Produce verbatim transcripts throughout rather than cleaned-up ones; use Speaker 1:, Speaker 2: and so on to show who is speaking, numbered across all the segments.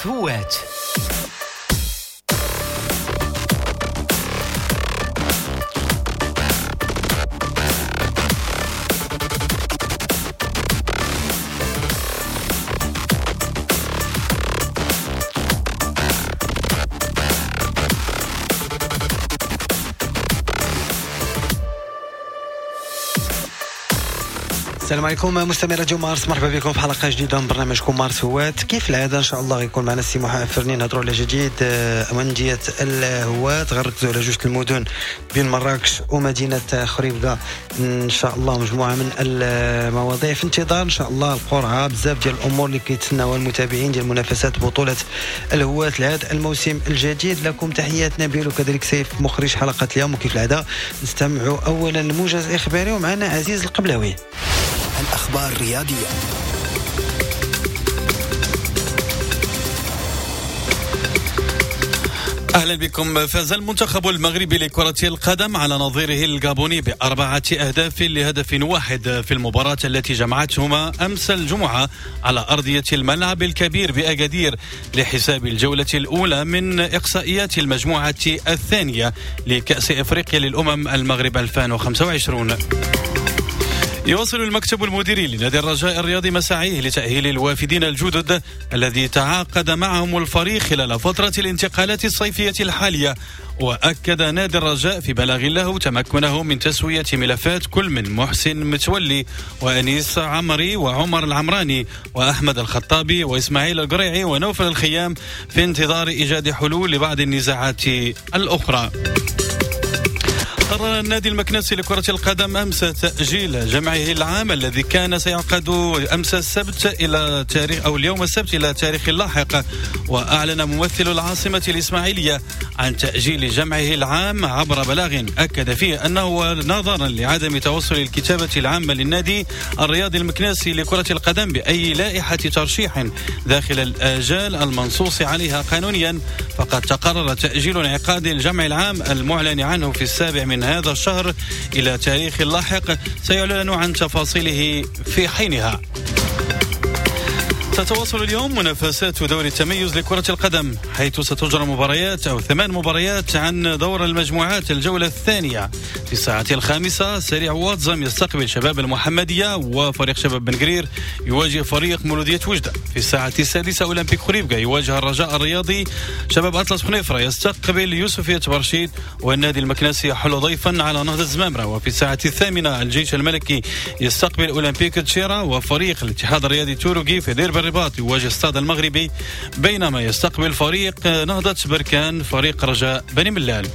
Speaker 1: مارس هوات.
Speaker 2: السلام عليكم مستمعي راديو مارس، مرحبا بكم في حلقة جديدة من برنامجكم مارس هوات. كيف العادة ان شاء الله غيكون معنا السي محمد فرني، نهضروا على جديد اندية الهوات، غنركزوا على جوج المدن بين مراكش ومدينة خريبكة ان شاء الله، مجموعة من المواضيع في انتظار ان شاء الله القرعة، بزاف ديال الامور اللي كيتسناوها المتابعين ديال منافسات بطوله الهوات لهذا الموسم الجديد. لكم تحيات نبيل وكذلك سيف مخرج حلقة اليوم، وكيف العادة نستمعوا اولا الموجز الاخباري ومعنا عزيز القبلاوي.
Speaker 1: الأخبار الرياضية.
Speaker 3: أهلا بكم. فاز المنتخب المغربي لكرة القدم على نظيره الغابوني بأربعة أهداف لهدف واحد في المباراة التي جمعتهما أمس الجمعة على أرضية الملعب الكبير بأكادير لحساب الجولة الأولى من إقصائيات المجموعة الثانية لكأس إفريقيا للأمم المغرب ألفين وخمسة وعشرين. يواصل المكتب المديري لنادي الرجاء الرياضي مساعيه لتأهيل الوافدين الجدد الذي تعاقد معهم الفريق خلال فترة الانتقالات الصيفية الحالية. وأكد نادي الرجاء في بلاغ له تمكنه من تسوية ملفات كل من محسن متولي وأنيس عمري وعمر العمراني وأحمد الخطابي وإسماعيل القريعي ونوفل الخيام في انتظار إيجاد حلول لبعض النزاعات الأخرى. قرر النادي المكناسي لكرة القدم أمس تأجيل جمعه العام الذي كان سيعقد أمس السبت إلى تاريخ أو اليوم السبت إلى تاريخ لاحق. وأعلن ممثل العاصمة الإسماعيلية عن تأجيل جمعه العام عبر بلاغ أكد فيه أنه نظرا لعدم توصل الكتابة العامة للنادي الرياضي المكناسي لكرة القدم بأي لائحة ترشيح داخل الآجال المنصوص عليها قانونيا، فقد تقرر تأجيل انعقاد الجمع العام المعلن عنه في السابع من هذا الشهر إلى تاريخ لاحق سيعلن عن تفاصيله في حينها. تتواصل اليوم منافسات دوري التميز لكرة القدم، حيث ستجرى مباريات أو ثمان مباريات عن دور المجموعات الجولة الثانية. في الساعة الخامسة سريع واتزام يستقبل شباب المحمدية، وفريق شباب بن قرير يواجه فريق مولودية وجدة. في الساعة السادسة أولمبيك خريبكة يواجه الرجاء الرياضي، شباب أطلس خنيفرة يستقبل يوسفية برشيد، والنادي المكناسي يحل ضيفا على نهضة زمامرة. وفي الساعة الثامنة الجيش الملكي يستقبل أولمبيك تشيرا، وفريق الاتحاد الرياضي توروغي في دير الرباط يواجه الستاد المغربي، بينما يستقبل فريق نهضة بركان فريق رجاء بني ملال.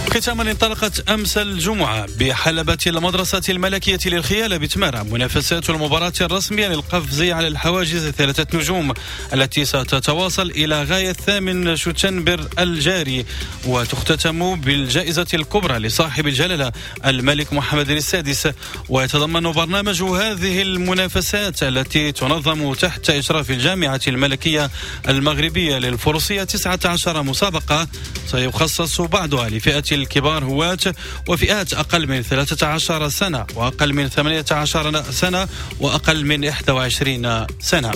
Speaker 3: ختاما انطلقت أمس الجمعة بحلبة المدرسة الملكية للخيالة بتمارة منافسات المباراة الرسمية للقفز على الحواجز ثلاثة نجوم التي ستتواصل إلى غاية الثامن شتنبر الجاري، وتختتم بالجائزة الكبرى لصاحب الجلالة الملك محمد السادس. ويتضمن برنامج هذه المنافسات التي تنظم تحت إشراف الجامعة الملكية المغربية للفروسية تسعة عشر مسابقة سيخصص بعضها لفئة الكبار هواة وفئات أقل من ثلاثة عشر سنة وأقل من ثمانية عشر سنة وأقل من إحدى وعشرين سنة.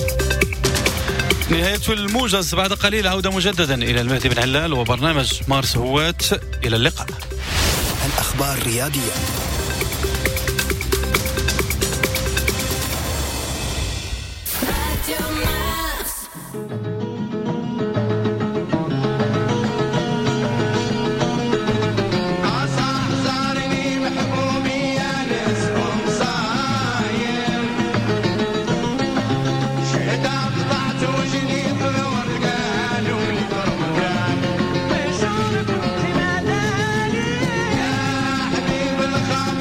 Speaker 3: نهاية الموجز بعد قليل، عودة مجددا إلى المهدي بن علال وبرنامج مارس هواة. إلى اللقاء.
Speaker 1: الأخبار الرياضية.
Speaker 4: يا حبيب الخاطر.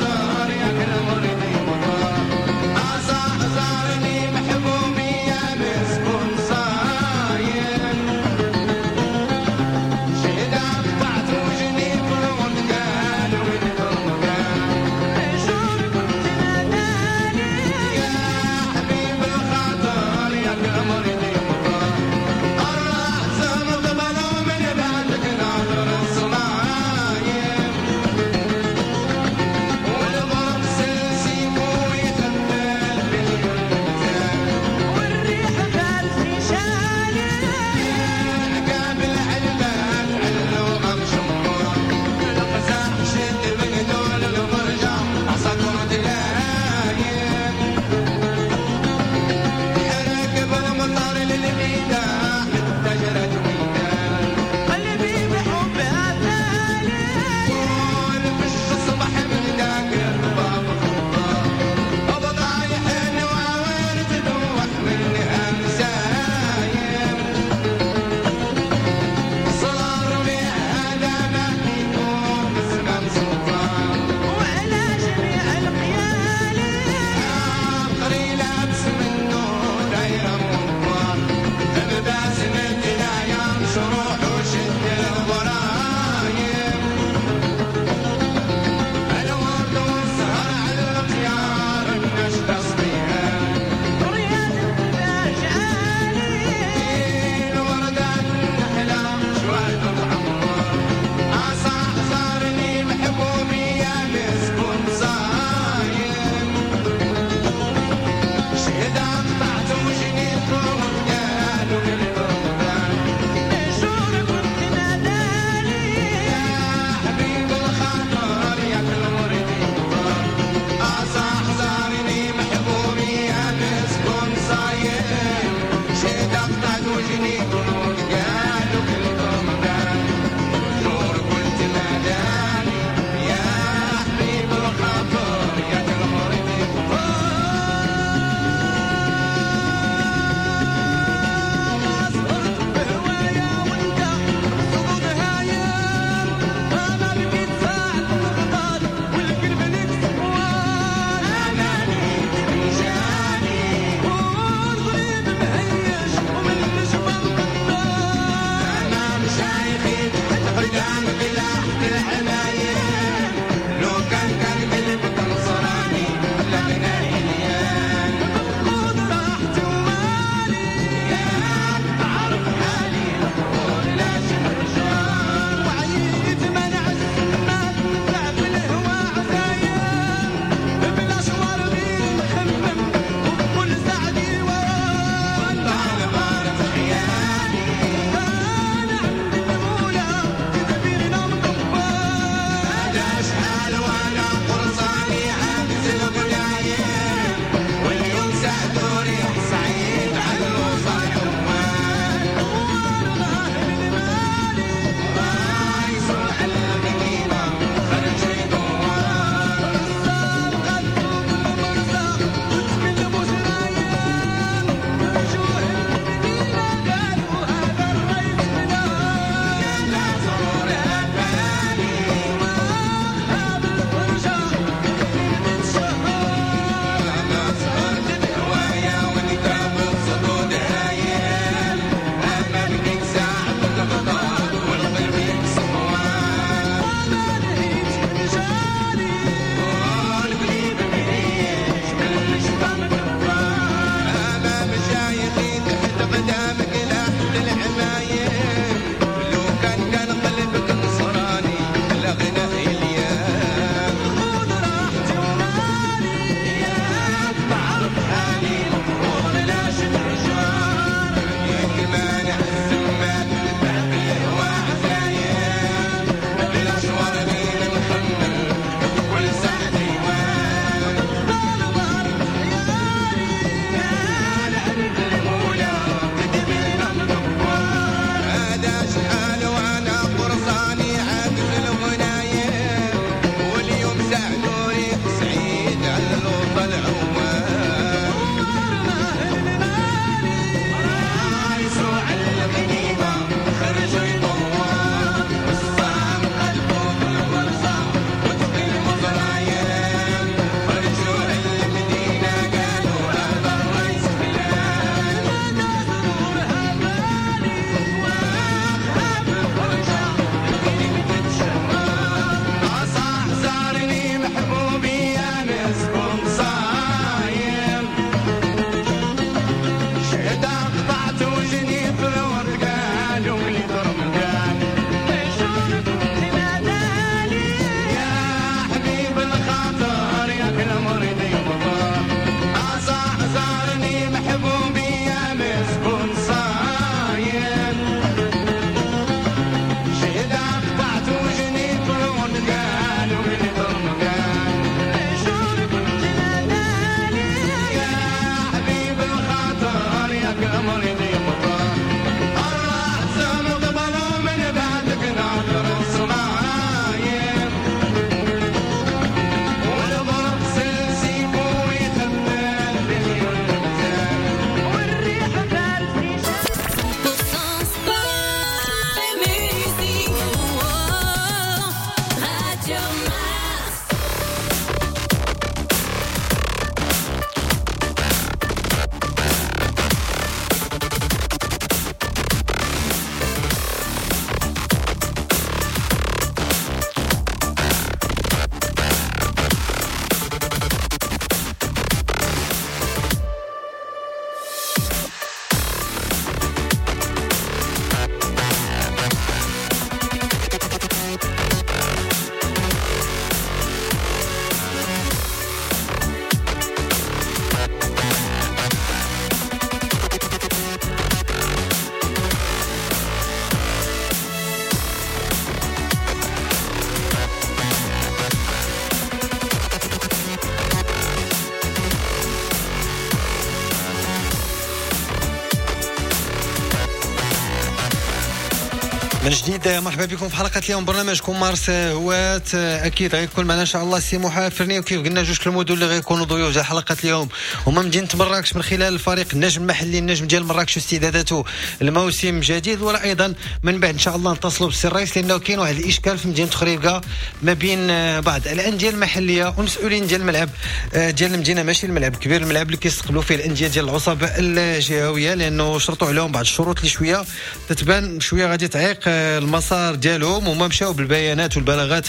Speaker 2: من جديد مرحبا بكم في حلقة اليوم برنامجكم مارس هوات. اكيد غيكون معنا ان شاء الله السي موحى فرني، وكيف قلنا جوج المدن اللي غيكونوا ضيوف ديال حلقة اليوم هما مدينة مراكش من خلال الفريق النجم المحلي النجم ديال مراكش واستعداداته الموسم جديد، ولا ايضا من بعد ان شاء الله نتصلوا بالسي الرئيس لانه كاين واحد الاشكال في مدينة خريبكه ما بين بعض الاندية المحلية والمسؤولين ديال الملعب ديال المدينة، ماشي الملعب الكبير، الملعب اللي كيستقبلوا فيه الاندية ديال العصب الجهوية، لانه شرطوا عليهم بعض الشروط اللي شوية تتبان شوية غادي تعيق المسار ديالهم، وما مشاو بالبيانات والبلاغات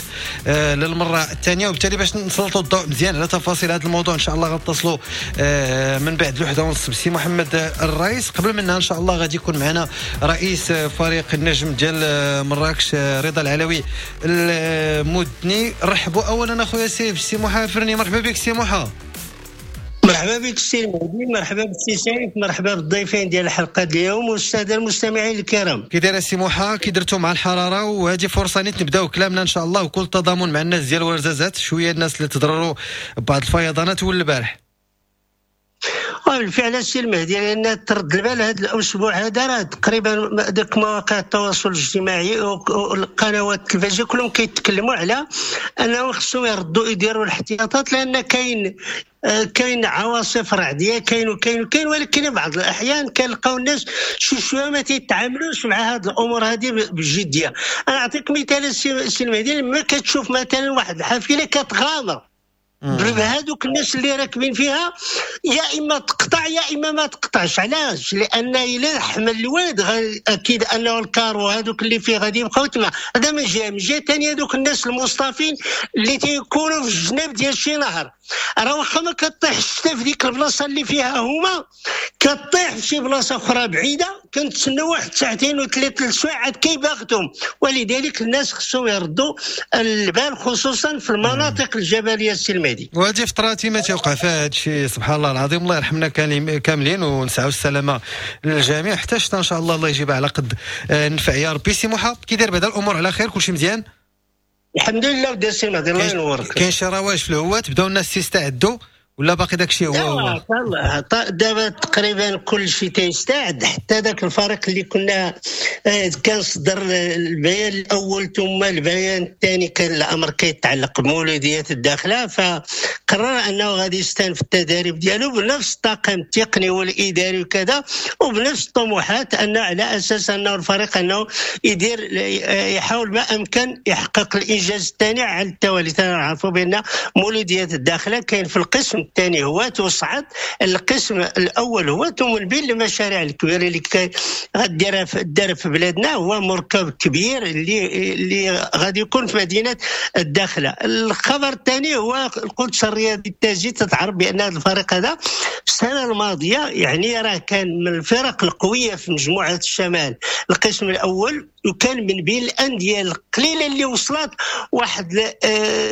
Speaker 2: للمرة الثانية. وبالتالي باش نسلطوا الضوء مزيان على تفاصيل هذا الموضوع ان شاء الله غنتصلوا من بعد الوحدة ونص بسي محمد الرئيس. قبل منها ان شاء الله غادي يكون معنا رئيس فريق النجم ديال مراكش رضا العلوي المدني. رحبوا اولا اخويا سيف سي موحى فرني، مرحبا بك سي موحى.
Speaker 4: مرحبا بك السي المهدي، مرحبا بالسي سيف، مرحبا بالضيفين ديال الحلقة اليوم والسادة المستمعين الكرام.
Speaker 2: كي داير السي موحى، كي درتو مع الحرارة؟ وهذه فرصة نيت نبداو كلامنا ان شاء الله وكل تضامن مع الناس ديال ورزازات، شوية الناس اللي تضرروا ببعض الفيضانات والبارح.
Speaker 4: بالفعل السي المهدي، لان ترد البال هذا الاسبوع هذا راه تقريبا ديك مواقع التواصل الاجتماعي والقنوات التلفزيونية كلهم كيتكلموا على انه خصهم يردوا يديروا الاحتياطات، لان كاين كاين عواصف رعديه، كاين وكاين وكاين، ولكن بعض الاحيان كنلقاو الناس شي شوية ما تيتعاملوش مع هذه الامور هذه بجدية. انا نعطيك مثال السي المهدي، لما كتشوف مثلا واحد الحافلة كتغامر بهذوك الناس اللي راكبين فيها، يا اما تقطع يا اما ما تقطعش. علاش؟ لان الا حمل الواد اكيد انه الكار وهذوك اللي فيه غادي يبقاو تما. هذا من جهة. من جهة ثانية هذوك الناس المصطفين اللي تيكونوا في الجناب ديال شي نهر، راه واخا ما كطيح الشتا في ديك البلاصة اللي فيها هما، كطيح في شي بلاصة اخرى بعيدة، كنتسناو واحد ساعتين وثلاث سوايع عاد كيباغتهم. ولذلك الناس خصهم يردوا البال خصوصا في المناطق الجبلية السلمية.
Speaker 2: وهذه فتراتي ما تيوقع فيها هذا الشيء، سبحان الله العظيم. الله يرحمنا كاملين ونسعوا السلامة للجميع حتى الشتا ان شاء الله الله يجيبها على قد النفع يا ربي. سي موحى كي داير بعدا الامور على خير، كلشي مزيان
Speaker 4: الحمد لله ودي السي المهدي الله ينورك.
Speaker 2: كاين شي رواج في الهوات، بداو الناس يستعدوا ولا باقي داك الشيء هو هو؟
Speaker 4: دابا تقريبا كل شيء تيستعد، حتى داك الفريق اللي كنا كان صدر البيان الاول ثم البيان الثاني، كان الامر كيتعلق بمولوديات الداخلة، فقرر انه غادي يستأنف التدريب ديالو بنفس الطاقم التقني والاداري وكذا، وبنفس الطموحات، انه على اساس انه الفريق انه يدير يحاول ما امكن يحقق الانجاز الثاني على التوالي. تنعرفوا بان مولوديات الداخلة كاين في القسم الثاني هو وصعد القسم الاول هو، ومن بين المشاريع الكبيرة اللي غديرها دار في بلادنا هو مركب كبير اللي اللي غادي يكون في مدينة الداخلة. الخبر الثاني هو القدس الرياضي التاجي، تتعرف بان هذا الفريق هذا السنة الماضية يعني راه كان من الفرق القوية في مجموعة الشمال القسم الاول، وكان من بين الاندية القليلة اللي وصلت واحد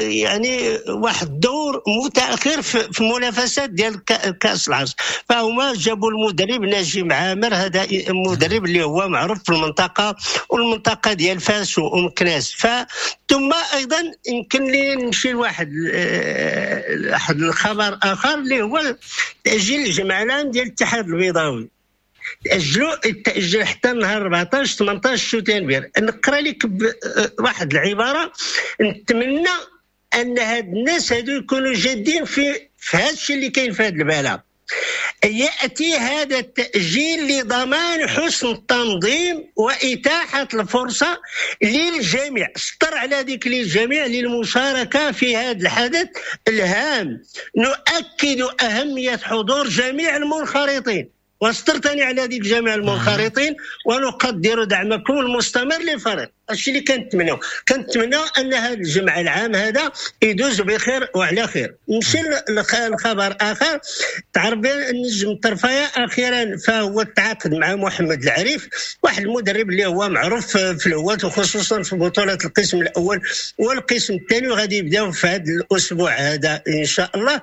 Speaker 4: يعني واحد الدور متاخر في المنافسات ديال كاس العرش. فهما جابوا المدرب نجيب عامر، هذا المدرب اللي هو معروف في المنطقة والمنطقة ديال فاس ومكناس. ثم ايضا يمكن لي نمشي لواحد واحد الخبر اخر اللي هو تاجيل الجمع العام ديال الاتحاد البيضاوي، تاجلوا تاجل حتى نهار أربعطاش ثمنطاش شتنبر. نقرا لك واحد العبارة، نتمنى ان هاد الناس هادو يكونوا جادين في في هذا الشيء اللي كاين في هذا البلاغ. ياتي هذا التاجيل لضمان حسن التنظيم واتاحة الفرصة للجميع، سطر على ذيك للجميع، للمشاركة في هذا الحدث الهام. نؤكد اهمية حضور جميع المنخرطين، وسطر ثاني على ذيك جميع المنخرطين، ونقدر دعمكم المستمر للفريق. الشيء اللي كنتمناو كنتمناو ان هذا الجمع العام هذا يدوز بخير وعلى خير. نمشي لخبر اخر، تعرف النجم الطرفايه اخيرا فهو تعاقد مع محمد العريف، واحد المدرب اللي هو معروف في الهواة وخصوصا في بطوله القسم الاول والقسم الثاني، وغادي يبداو في هذا الاسبوع هذا ان شاء الله.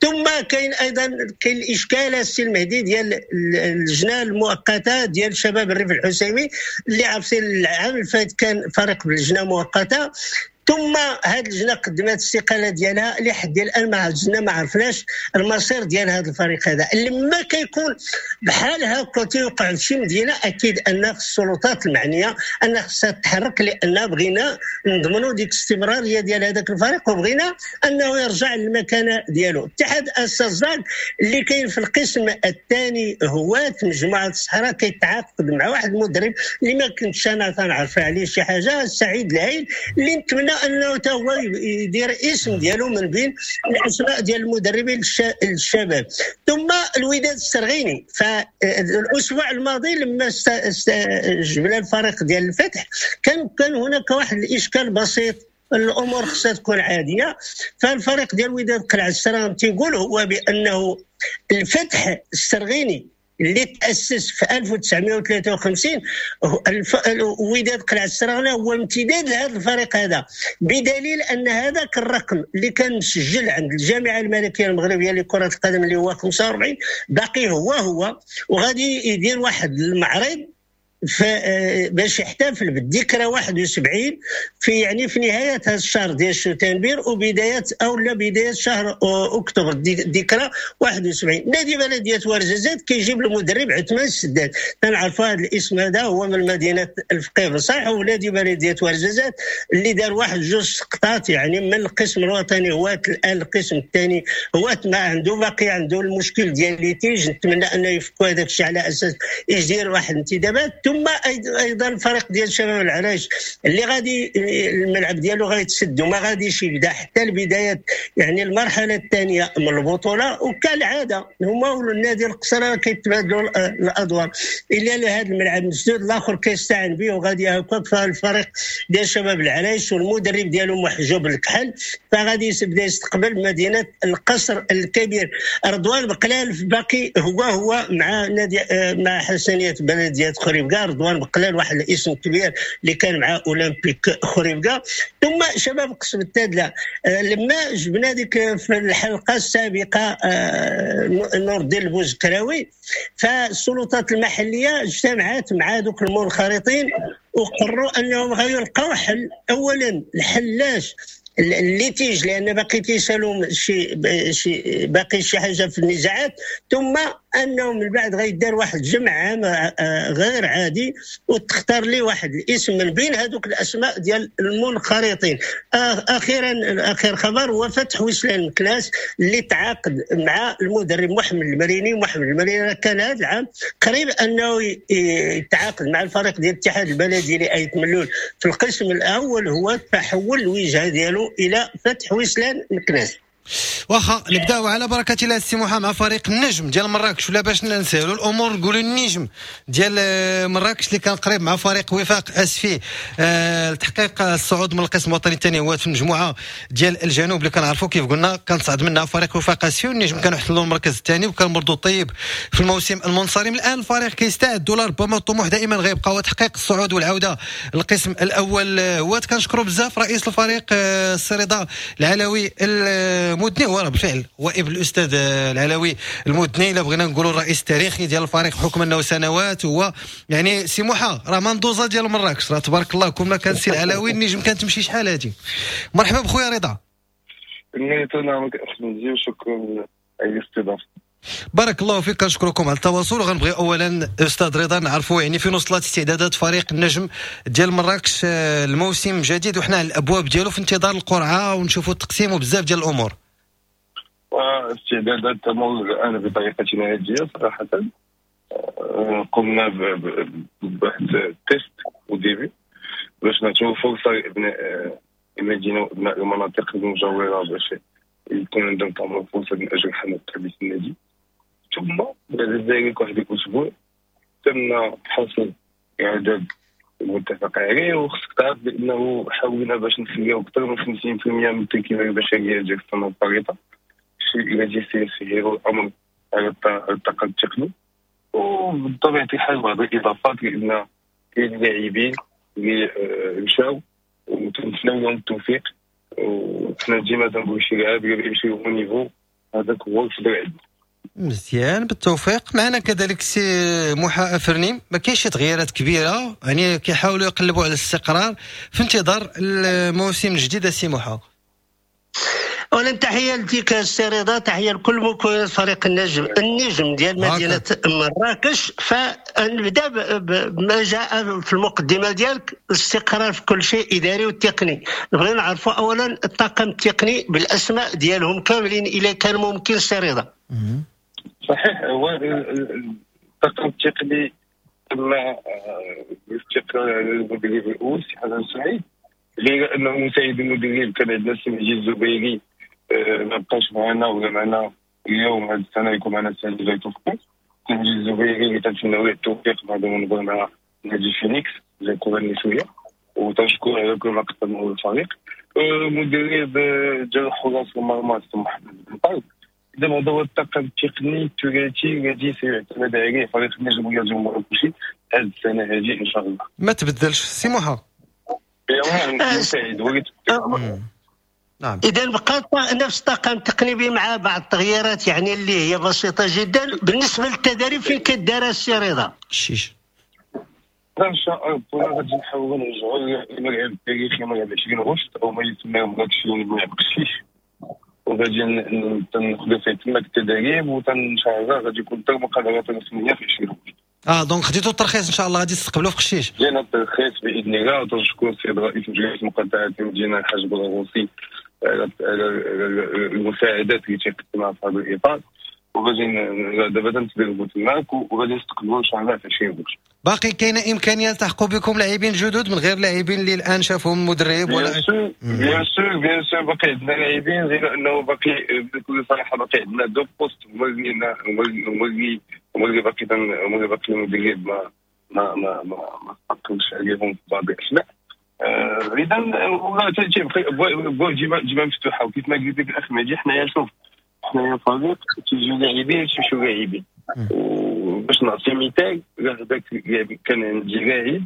Speaker 4: ثم كاين ايضا كاين الاشكال السي المهدي ديال اللجنة المؤقتة ديال شباب الريف الحسيمي، اللي عرفتي العام الفات كان فريق باللجنه مؤقتة، ثم هذه اللجنة قدمت الاستقالة ديالها، لحد الان ما اللجنة ما عرفناش المصير ديال هذا الفريق هذا. لما كيكون بحال هكا تيوقع في شي مدينة، اكيد ان السلطات المعنية ان خصها تتحرك، لان بغينا نضمنوا ديك الاستمرارية ديال هذاك الفريق، وبغينا انه يرجع للمكانه ديالو. اتحاد السزاق اللي كاين في القسم الثاني هواة مجموعة الصحراء كيتعاقد مع واحد المدرب اللي ما كنتش انا تنعرف عليه شي حاجة، سعيد العيل، اللي نتمنى انه حتى هو يدير اسم ديالو من بين الاسماء ديال المدربين الشباب. ثم الوداد السرغيني، فالاسبوع الماضي لما جبنا الفريق ديال الفتح كان كان هناك واحد الاشكال بسيط، الامور خصها تكون عادية. فالفريق ديال الوداد قلعه السراغنة تيقول هو بانه الفتح السرغيني اللي تاسس في ألف وتسعمائة وثلاثة وخمسين، وداد قلعه السراغنة هو امتداد لهذا الفريق هذا، بدليل ان هذاك الرقم اللي كان مسجل عند الجامعة الملكية المغربية لكرة القدم اللي هو خمسة وأربعين باقي هو هو، وغادي يدير واحد المعرض باش يحتفل بالذكرى واحد وسبعين في يعني في نهاية هذا الشهر ديال شتنبر وبداية او لا بداية شهر اكتوبر، الذكرى واحد وسبعين. نادي بلديه ورزازات كيجيب المدرب عثمان السداد، تنعرفوا هذا الاسم هذا، هو من مدينة الفقيه صحيح، هو نادي بلديه ورزازات اللي دار واحد جوج سقطات يعني من القسم الوطني هو الان القسم الثاني، هو ما عنده باقي عنده المشكل ديال litige، نتمنى انه يفكوا هذاك الشيء على اساس يدير واحد الانتدابات. ثم ايضا الفريق ديال شباب العرايش اللي غادي الملعب ديالو غيتسد وما غاديش يبدا حتى البداية يعني المرحلة الثانية من البطولة، وكالعادة هما والنادي القصر كيتبادلوا الادوار، الا لهذا الملعب مسدود الاخر كيستعن به وغادي هكاك. فالفريق ديال شباب العرايش والمدرب ديالو محجوب الكحل فغادي يبدا يستقبل مدينة القصر الكبير. رضوان بقلال باقي هو هو مع نادي مع حسنيه بلديه خريبكا، رضوان بقلال واحد الاسم كبير اللي كان مع اولمبيك خريبكا. ثم شباب قصب التادله، لما جبنا ديك في الحلقة السابقة نور الدين البوزكراوي، فالسلطات المحلية اجتمعت مع دوك المنخرطين وقرروا انهم غيلقاو حل. اولا الحلاش ال litige، لان باقي تيسالوا شي شي باقي شي حاجة في النزاعات، ثم انه من بعد غيدار واحد الجمع عام غير عادي وتختار لي واحد الاسم من بين هذوك الاسماء ديال المنخرطين. اخيرا اخر خبر هو فتح وسلان مكناس اللي تعاقد مع المدرب محمد المريني. محمد المريني كان هذا العام قريب انه يتعاقد مع الفريق ديال الاتحاد البلدي لأيت ملول في القسم الاول، هو تحول الوجهة ديالو الى فتح وسلان مكناس.
Speaker 2: واخا نبداو على بركة الله السي محمد مع فريق النجم ديال مراكش، ولا باش نسهلوا الامور نقولوا النجم ديال مراكش اللي كان قريب مع فريق وفاق اسفي أه لتحقيق الصعود من القسم الوطني الثاني هو في المجموعة ديال الجنوب اللي كنعرفوا كيف قلنا كان صعد منها فريق وفاق اسفي، والنجم كانوا احتلوا المركز الثاني وكان مردود طيب في الموسم المنصرم. الان الفريق كيستعد ولربما الطموح دائما غيبقى هو تحقيق الصعود والعودة للقسم الاول. هو كنشكروا بزاف رئيس الفريق السي رضا العلوي المدني، هو راه بالفعل هو ابن الاستاذ العلوي المدني، الا بغينا نقولوا الرئيس التاريخي ديال الفريق حكم انه سنوات، هو يعني سي موحى راه مندوزه ديال مراكش، راه تبارك الله كون ما كان سي العلوي النجم كانت تمشي شحال هادي. مرحبا بخويا رضا.
Speaker 5: شكرا على الاستضافة.
Speaker 2: بارك الله فيك، كنشكركم على التواصل. وغنبغي اولا استاذ رضا نعرفوا يعني فين وصلت استعدادات فريق النجم ديال مراكش الموسم الجديد، وحنا على الابواب ديالو في انتظار القرعة ونشوفوا التقسيم وبزاف ديال الامور.
Speaker 5: واستعدادات تمر الان بطريقة عادية صراحة. قمنا بواحد test au début باش نعطيو فرصة لابناء المدينة وابناء المناطق المجاورة باش يكون عندهم طبعا فرصة من اجل حمل تربيه النادي. ثم بعد ذلك واحد الاسبوع تم حصر اعداد المتفق عليه، وخصك تعرف بانه حاولنا باش نخليو اكثر من خمسين بالمئة من التركيبة البشرية ديال السنة الفارطه، الشيء الذي سيسهل الامر على الطاقم التقني. وبطبيعة الحال بعض الاضافات، لان كاين لاعبين اللي مشاو وتنتمناو لهم التوفيق، وحنا ديما تنقولوا شي لاعب يمشي au niveau هذاك هو الفضل عندنا.
Speaker 2: مزيان، بالتوفيق. معنا كذلك سي موحى افرني، ما كاينش شي تغييرات كبيرة، يعني كيحاولوا يقلبوا على الاستقرار في انتظار الموسم الجديد. سي موحى،
Speaker 4: اولا تحية لك السي رضا، تحية لكل مكونات فريق النجم النجم ديال مدينة مراكش. فنبدا بما جاء في المقدمة ديالك، الاستقرار في كل شيء اداري والتقني. نبغي نعرفوا اولا الطاقم التقني بالاسماء ديالهم كاملين اذا كان ممكن سي رضا.
Speaker 5: صحيح، هو الطاقم التقني تم الاستقرار على المدرب الاول سي حسن سعيد، غير انه مساعد المدرب كان عندنا السي مهدي الزبيري ما بقاش معنا ولا معنا اليوم، هذه السنة يكون معنا السي مهدي توفيق. السي مهدي الزبيري اللي تنتمناو له التوفيق في هذا المنبر مع نادي فينيكس ديال الكره النسوية، وتنشكر على كل ما قدمه الفريق. مدرب ديال حراس المرمى السي محمد بن طالب. اذا هذا هو الطاقم التقني الثلاثي الذي سيعتمد عليه فريق النجم الرياضي المراكشي هذه السنة هذه ان شاء الله.
Speaker 2: ما تبدلش سي موحى؟
Speaker 4: نعم. اذا بقى نفس الطاقم التقني مع بعض التغييرات يعني اللي هي بسيطة جدا. بالنسبة للتدريب فين كدار السي رضا؟
Speaker 2: الشيش
Speaker 5: ان شاء الله غادي نحاولوا نرجعوا للملعب التاريخي ملعب عشرين غشت او ما يسمى مراكشيون ملعب قشيش، وغادي ناخذوا فيه تماك التدريب، وان شاء الله غادي يكون حتى المقابلات الرسمية في عشرين غشت.
Speaker 2: اه donc خديتو الترخيص ان شاء الله غادي تستقبلوه في قشيش؟
Speaker 5: جينا الترخيص باذن الله، وتنشكر السيد رئيس مجلس مقاطعه المدينة الحاج بوغوصي على المساعدات اللي تيقدمها في هذا الاطار، وغادي دابا تندربوا تماك وغادي نستقبلوا ان شاء الله في عشرين غشت.
Speaker 2: باقي كاينه امكانية تلحقوا بكم لاعبين جدد من غير لاعبين اللي الان شافهم المدرب ولا؟
Speaker 5: bien sûr bien sûr bien sûr باقي عندنا لاعبين، غير انه باقي بكل صراحة باقي عندنا deux postes هما اللي هما اللي هما اللي باقي هما اللي باقي المدرب ما ما ما ما ما استقرش عليهم في بعض الاسماء. اذا والله تيبقى ابواب ديما ديما مفتوحة، وكيف ما قلت لك الاخ مهدي حنايا شوف حنايا فريق تيجيو لاعبين تيمشيو لاعبين. وباش نعطي مثال، هذاك كان عندي لاعب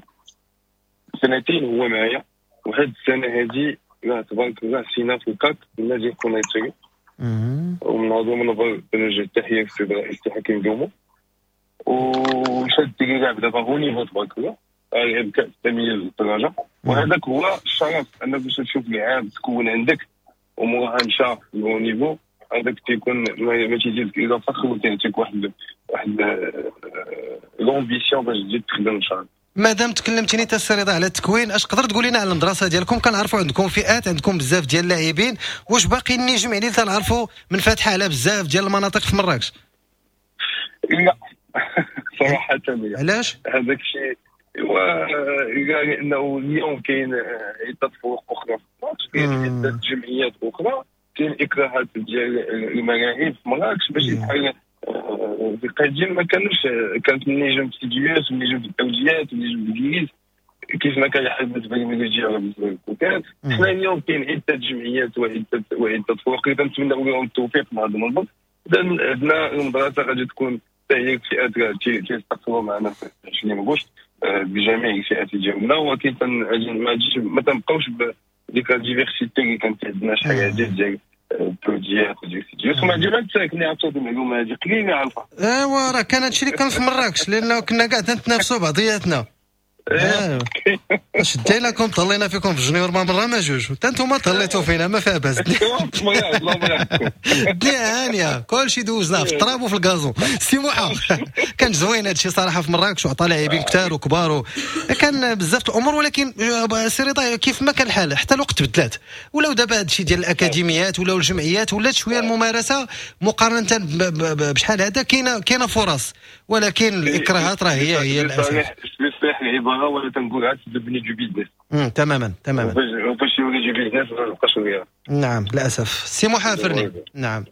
Speaker 5: سنتين هو معايا، وهاد السنة هادي راه تبارك الله سينا في الكاك النادي القنيطري، ومن هذا المنبر كنوجه التحية للسيد رئيس حكيم دومو، وشاد لعب دابا haut niveau تبارك الله، لعب كاس التمييز للدرجة، وهذاك هو الشرف انك باش تشوف لاعب تكون عندك وموراها مشى haut niveau، هذاك تيكون ما تيزيدك الا فخر وتيعطيك واحد واحد l'ambition باش تزيد تخدم ان شاء الله.
Speaker 2: مادام تكلمتيني تا السي رضا على التكوين، اش تقدر تقول لنا على المدرسة ديالكم؟ كنعرفوا عندكم فئات، عندكم بزاف ديال اللاعبين، واش باقي النجم يعني تنعرفوا من فاتحة على بزاف ديال المناطق في مراكش؟
Speaker 5: لا صراحة
Speaker 2: علاش؟
Speaker 5: هذاك الشيء لانه اليوم كاين عده فروق اخرى في مراكش، كاين عده جمعيات اخرى، كاين اكراهات ديال الملاعب في مراكش باش بحال في القديم ما كانوش، كانت النجم في السيديوس والنجم في الدوجيات والنجم في الانجليز كيف ما كان الحال بالنسبة للميلوجيا ولا بالنسبة للكوكات. حنا اليوم كاين عده جمعيات وعده وعده فروق اللي كنتمناو لهم التوفيق مع هذا المنبر. اذا عندنا المدرسة غادي تكون حتى هي فئات تيستقبلوا معنا في عشرين غشت بجميع الفئات ديالنا، ولكن ما تنبقاوش بديك la diversité اللي كانت عندنا شحال هادي ديال البروديات وديال السيديوس. وما عندي ساكنين عرفتوا هذه المعلومة هذه قليله عارفه.
Speaker 2: ايوا راه كان هادشي اللي كان في مراكش، لانه كنا كاع تنتنافسوا بعضياتنا. ايوا شديناكم طلينا فيكم في junior ما مرة ما جوج، حتى انتم طليتوا فينا ما فيها باس. الدنيا هانيه، كلشي دوزناه في التراب وفي ال gazon. سي موحى كان زوين هادشي صراحة في مراكش، وعطى لاعبين كثار وكبار، كان بزاف الامور. ولكن سي رضا كيف ما كان الحال حتى الوقت تبدلات، ولاو دابا هادشي ديال الاكاديميات ولاو الجمعيات، ولات شوية الممارسة مقارنة بشحال هذا، كاينه كاينه فرص، ولكن الاكراهات راه هي هي الاساس.
Speaker 5: العبارة ولا تنقول عاد تبني du business.
Speaker 2: تماما تماما،
Speaker 5: فاش يولي du business ما نبقاش غير.
Speaker 2: نعم للاسف. سي موحى فرني. نعم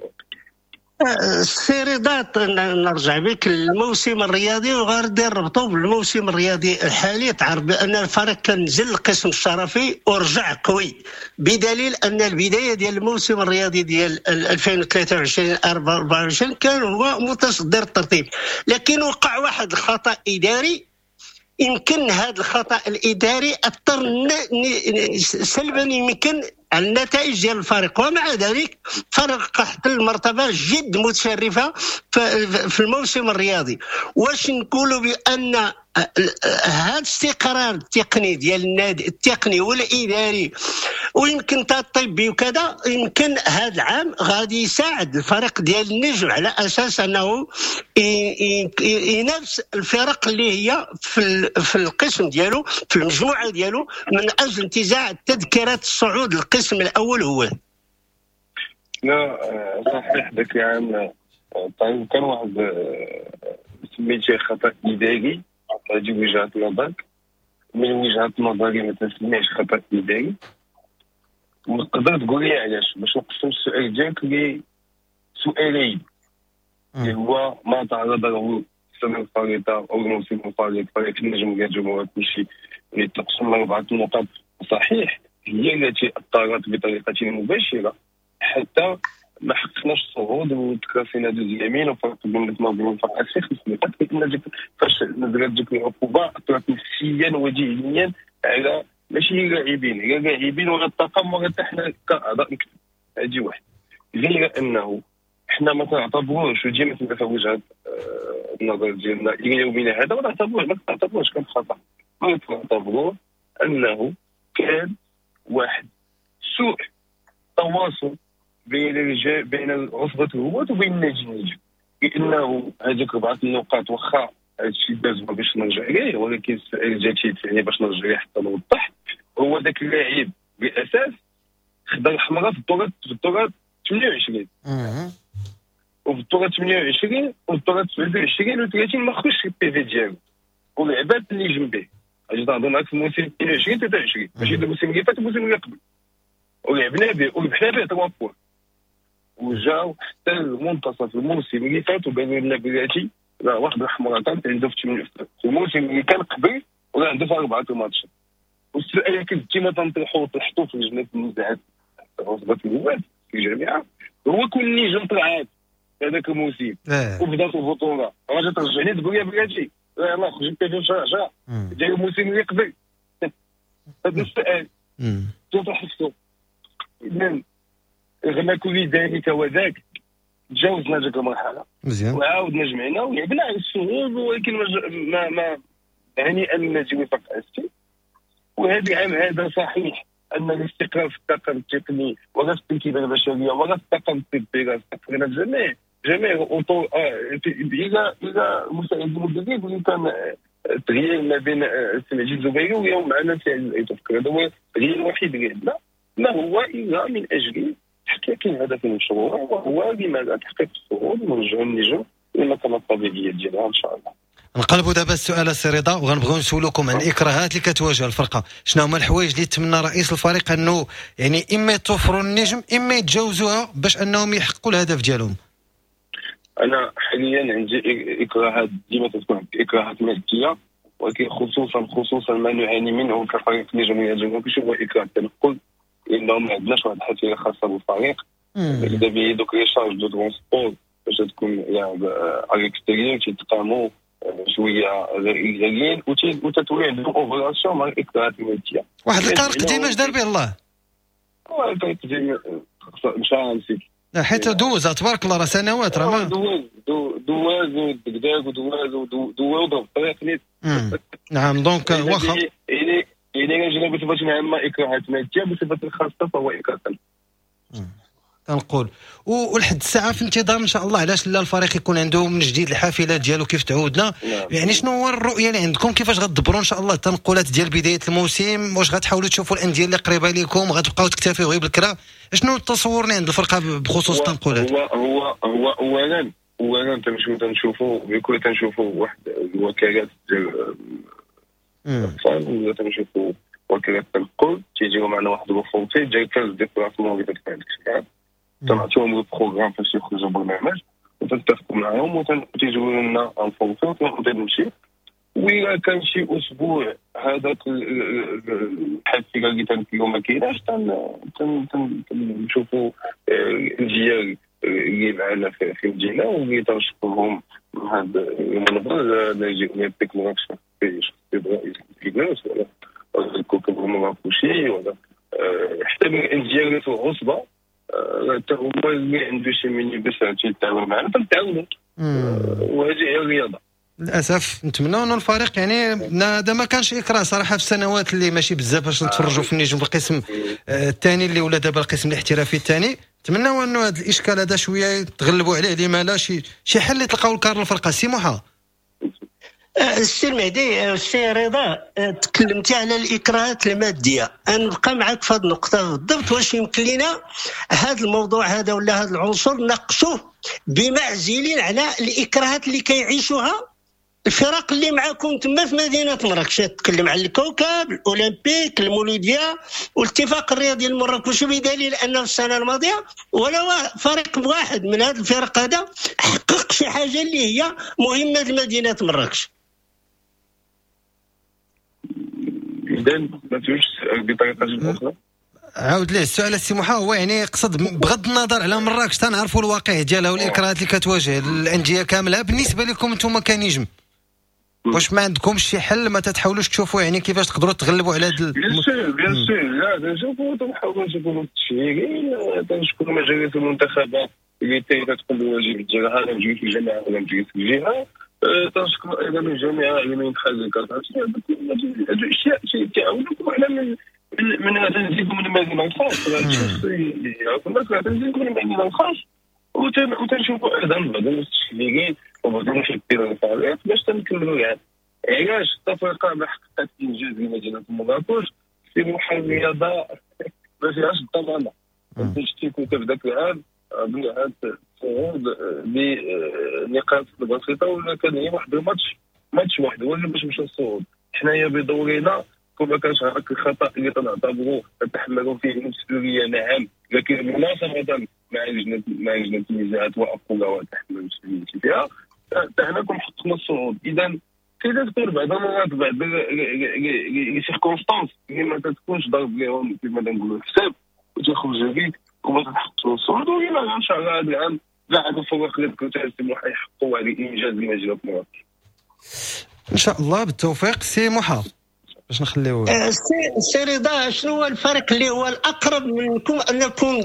Speaker 4: السي رضا، نرجع بك للموسم الرياضي وغادي نربطو بالموسم الرياضي الحالي. تعرف بان الفريق كان نزل القسم الشرفي ورجع قوي، بدليل ان البداية ديال الموسم الرياضي ديال ألفين وثلاثة وعشرين أربعة وعشرين كان هو متصدر الترتيب، لكن وقع واحد الخطا اداري. يمكن هذا الخطا الاداري اثر سلبا يمكن على النتائج ديال الفريق، ومع ذلك فريق احتل المرتبة جد متشرفه في الموسم الرياضي. واش نقولوا بان هذا الاستقرار التقني ديال النادي، التقني والاداري ويمكن حتى الطبي وكذا، يمكن هذا العام غادي يساعد الفريق ديال النجم على اساس انه ينافس الفرق اللي هي في في القسم ديالو، في المجموعة ديالو، من اجل انتزاع تذكره الصعود للقسم الاول. هو
Speaker 5: لا صحيح ذاك العام طيب كان واحد سميتيه خطا اداري، هذه وجهه نظرك. من وجهه نظري ما تسميش خطا اداري، وتقدر تقول لي علاش؟ باش نقسم السؤال ديالك لسؤالين، اللي هو ما تعرض له السنة الفارطه او الموسم الفارط فريق النجم ديال الجمهور كلشي اللي تقسم لاربعة النقاط، صحيح هي التي اثرت بطريقة مباشرة حتى ما حققناش الصعود وتكراسينا deuxième وفرق بيناتنا وبين الفرق في خمس نقاط، لان فاش نزلت ديك العقوبة اثرت نفسيا وذهنيا على ماشي اللاعبين، غير اللاعبين ولا الطاقم ولا حتى حنا كاعضاء مكتب. هادي واحد. غير انه حنا ما تنعتبروش، وديما تبقى في وجهه النظر ديالنا الى يومنا هذا، ما نعتبروش ما نعتبروش كان خطا، ما نعتبروه انه كان واحد سوء تواصل بين الرجال، بين عصبة الهواة وبين النادي النجم، لانه هذيك اربعة النقاط واخا هادشي داز باش نرجع ليه، ولكن السؤال جاتي يعني باش نرجع ليه حتى نوضح، هو ذاك اللاعب بالاساس خدا الحمراء في الدورة في الدورة ثمانية وعشرين وفي الدورة ثمانية وعشرين وفي الدورة تسعة وعشرين و ثلاثين ما خرجش ال PV ديالو ولعبات اللي جنبيه. اجي تهضر معاك في الموسم اثنين وعشرين ثلاثة وعشرين ماشي الموسم اللي فات، الموسم اللي قبل، ولعبنا به وربحنا به ثلاثة points، وجاو حتى المنتصف الموسم اللي فات وقالوا لنا بلاتي راه واحد الحمراء كانت عنده في الموسم اللي كان قبل ولا عنده في اربعة الماتشات. والسؤال اللي كنت ديما تنطرحو وطرحتو في لجنة النزاعات عصبه الهواة في الجامعة هو كون النجم طلعات هذاك الموسم وبدات البطولة، راه ترجعني تقول لي بلاتي يلاه خرج في شهر عشرة ديال الموسم اللي قبل. هذا السؤال تطرح نفسه. اذا رغم كل ذلك وذاك تجاوزنا ديك المرحلة
Speaker 2: مزيان
Speaker 5: وعاودنا جمعنا ولعبنا على الصعود، ولكن ما ما يعني ان النادي وفاق اسفي. وهذا العام هذا صحيح ان الاستقرار في الطاقم التقني ولا في التركيبة البشرية ولا في الطاقم الطبي راه استقرينا جميع جميع الاطر الى الى مساعد المدرب اللي كان التغيير ما بين السي مجيد الزبيري واليوم معنا سي عزيز ايتوفكر. هذا هو التغيير الوحيد اللي عندنا، ما هو الا من اجل تحقيق الهدف المشروع، وهو لماذا تحقيق الصعود ونرجعوا النجم للمكانه الطبيعية ديالها ان شاء الله.
Speaker 2: نقلبوا دابا السؤال السي رضا، وغنبغيو نسولوكم عن الاكراهات اللي كتواجه الفرقة، شنو هما الحوايج اللي تمنى رئيس الفريق انه يعني اما يتوفروا النجم اما يتجاوزوها باش انهم يحققوا الهدف ديالهم؟
Speaker 5: انا حاليا عندي اكراهات، ديما تكون عندي اكراهات مادية، ولكن خصوصا خصوصا ما نعاني منه كفريق النجم الجنوبي هو اكراه التنقل، لانه ما عندناش واحد الحافلة خاصة بالفريق. اذا به دوك les charges de transport باش تكون يعني à l'extérieur تيتقاموا شوية غاليين، وتتولي عندهم obligation مع الاكراهات المادية.
Speaker 2: واحد الكار قديم اش دار به الله؟
Speaker 5: الكار قديم مشى نسيت،
Speaker 2: حيت دوز تبارك الله راه سنوات راه ما
Speaker 5: دوز دوز ودكداك ودوز ودوز وضرب الطريق نيت.
Speaker 2: نعم donc واخا
Speaker 5: يعني يعني جينا بصفة عامة اكراهات مادية، بصفة خاصة فهو اكراه
Speaker 2: تنقول. ولحد الساعة في انتظار ان شاء الله علاش لا الفريق يكون عنده من جديد الحافلات ديالو كيف تعودنا. نعم. يعني شنو هو الرؤية اللي عندكم، كيفاش غتدبروا ان شاء الله التنقلات ديال بداية الموسم؟ واش غتحاولوا تشوفوا الاندية اللي قريبه لكم، غتبقاو تكتفيو غير بالكرا؟ شنو التصور اللي عند الفرقة بخصوص التنقلات؟
Speaker 5: هو هو هو اولا اولا تنمشيو تنشوفوا بكل تنشوفوا واحد الوكالات ديال الاطفال ولا تنشوفوا وكالات التنقل تيجيو معنا واحد ال forfait ديال quinze déplacements اللي تدفع لك، تنعطيهم ال programme فاش يخرجوا برنامج وتنتفقوا معاهم وتيجيو لنا un forfait وتنقدر نمشي. وإلا كان شي اسبوع هذاك الحافلة اللي تنكيو ما كايناش تنشوفوا الاندية اللي معنا في المدينة واللي تنشكرهم من هذا المنبر، ناجي اولمبيك مراكش في رئيس الجناس ولا الكوكب مراكشي ولا حتى من الاندية اللي في العصبة حتى هما اللي عنده شي ميني باش تيتعاون معنا تنتعاونوا، وهذه هي الرياضة.
Speaker 2: للاسف نتمنى انه الفريق يعني هذا ما كانش اكراه صراحة في السنوات اللي ماشي بزاف باش نتفرجوا في النجم في القسم الثاني اللي ولا دابا القسم الاحترافي الثاني. نتمنى انه هذا الاشكال هذا شوية يتغلبوا عليه، لما لا شي شي حل اللي تلقاو الكار الفرقة. سي موحى.
Speaker 4: السي المهدي، السي رضا، تكلمتي على الاكراهات المادية، انا نبقى معك في هذه النقطة بالضبط. واش يمكن لنا هذا الموضوع هذا ولا هذا العنصر نقصوه بمعزل على الاكراهات اللي كيعيشوها الفرق اللي معاكم تما في مدينة مراكش؟ تتكلم على الكوكب، الاولمبيك، المولوديه والاتفاق الرياضي المراكشي، بدليل انه في السنة الماضية ولا فريق واحد من هذا الفرق هذا حقق شي حاجة اللي هي مهمة لمدينة مراكش.
Speaker 5: اذا ما فهمتش بطريقة اخرى.
Speaker 2: عاود ليه السؤال السي موحى. هو يعني قصد بغض النظر على مراكش تنعرفوا الواقع ديالها والاكراهات اللي كتواجه الاندية كاملة، بالنسبة لكم انتم كنجم واش ما عندكمش شي حل؟ ما تتحاولوش تشوفوا يعني كيفاش تقدروا تغلبوا على هذا؟
Speaker 5: bien sûr bien sûr، لا تنشوفوا تنحاولوا نشوفوا التشهيرين، تنشكروا مجالس المنتخبات اللي تقوم بالواجب ديالها، لا مجلس الجامعة ولا مجلس الجهة. تنشكر ايضا الجامعة على ما يدخل الكارت. هادو اشياء تيعاونوكم على من من تنزيدوا من المدينة الخاص، تنزيدوا من المدينة الخاص، وتنشوفوا ايضا بعض المستشفيين وبعض المحبين الفريق باش تنكملوا العام. علاش التفرقة ما حققت انجاز لمدينة مراكش في محل الرياضة ما فيهاش الضمانة؟ انت شتي كنت في ذاك العام بنعاد الصعود بنقاط بسيطة، ولا كان هي واحد الماتش ماتش واحد هو اللي باش مشى الصعود. حنايا بدورنا كون ما كانش هذاك الخطا اللي تنعتبروا نتحملوا فيه المسؤولية، نعم، لكن مناصفه مع لجنة مع لجنة النزاعات واقولها وتحمل المسؤولية فيها، حتى حنا كنحققنا الصعود. اذا كي تكون بعض المرات بعض les circonstances اللي ما تكونش ضرب لهم كما تنقولوا الحساب وتخرج عليك وما تحققش الصعود. وإلا ان شاء الله هذا العام كاع هاد الفرق اللي ذكرت يحققوا هذا الانجاز لمدينة مراكش
Speaker 2: ان شاء الله. بالتوفيق سي موحى. باش نخليو
Speaker 4: سي رضا، شنو هو الفريق اللي هو الاقرب منكم انكم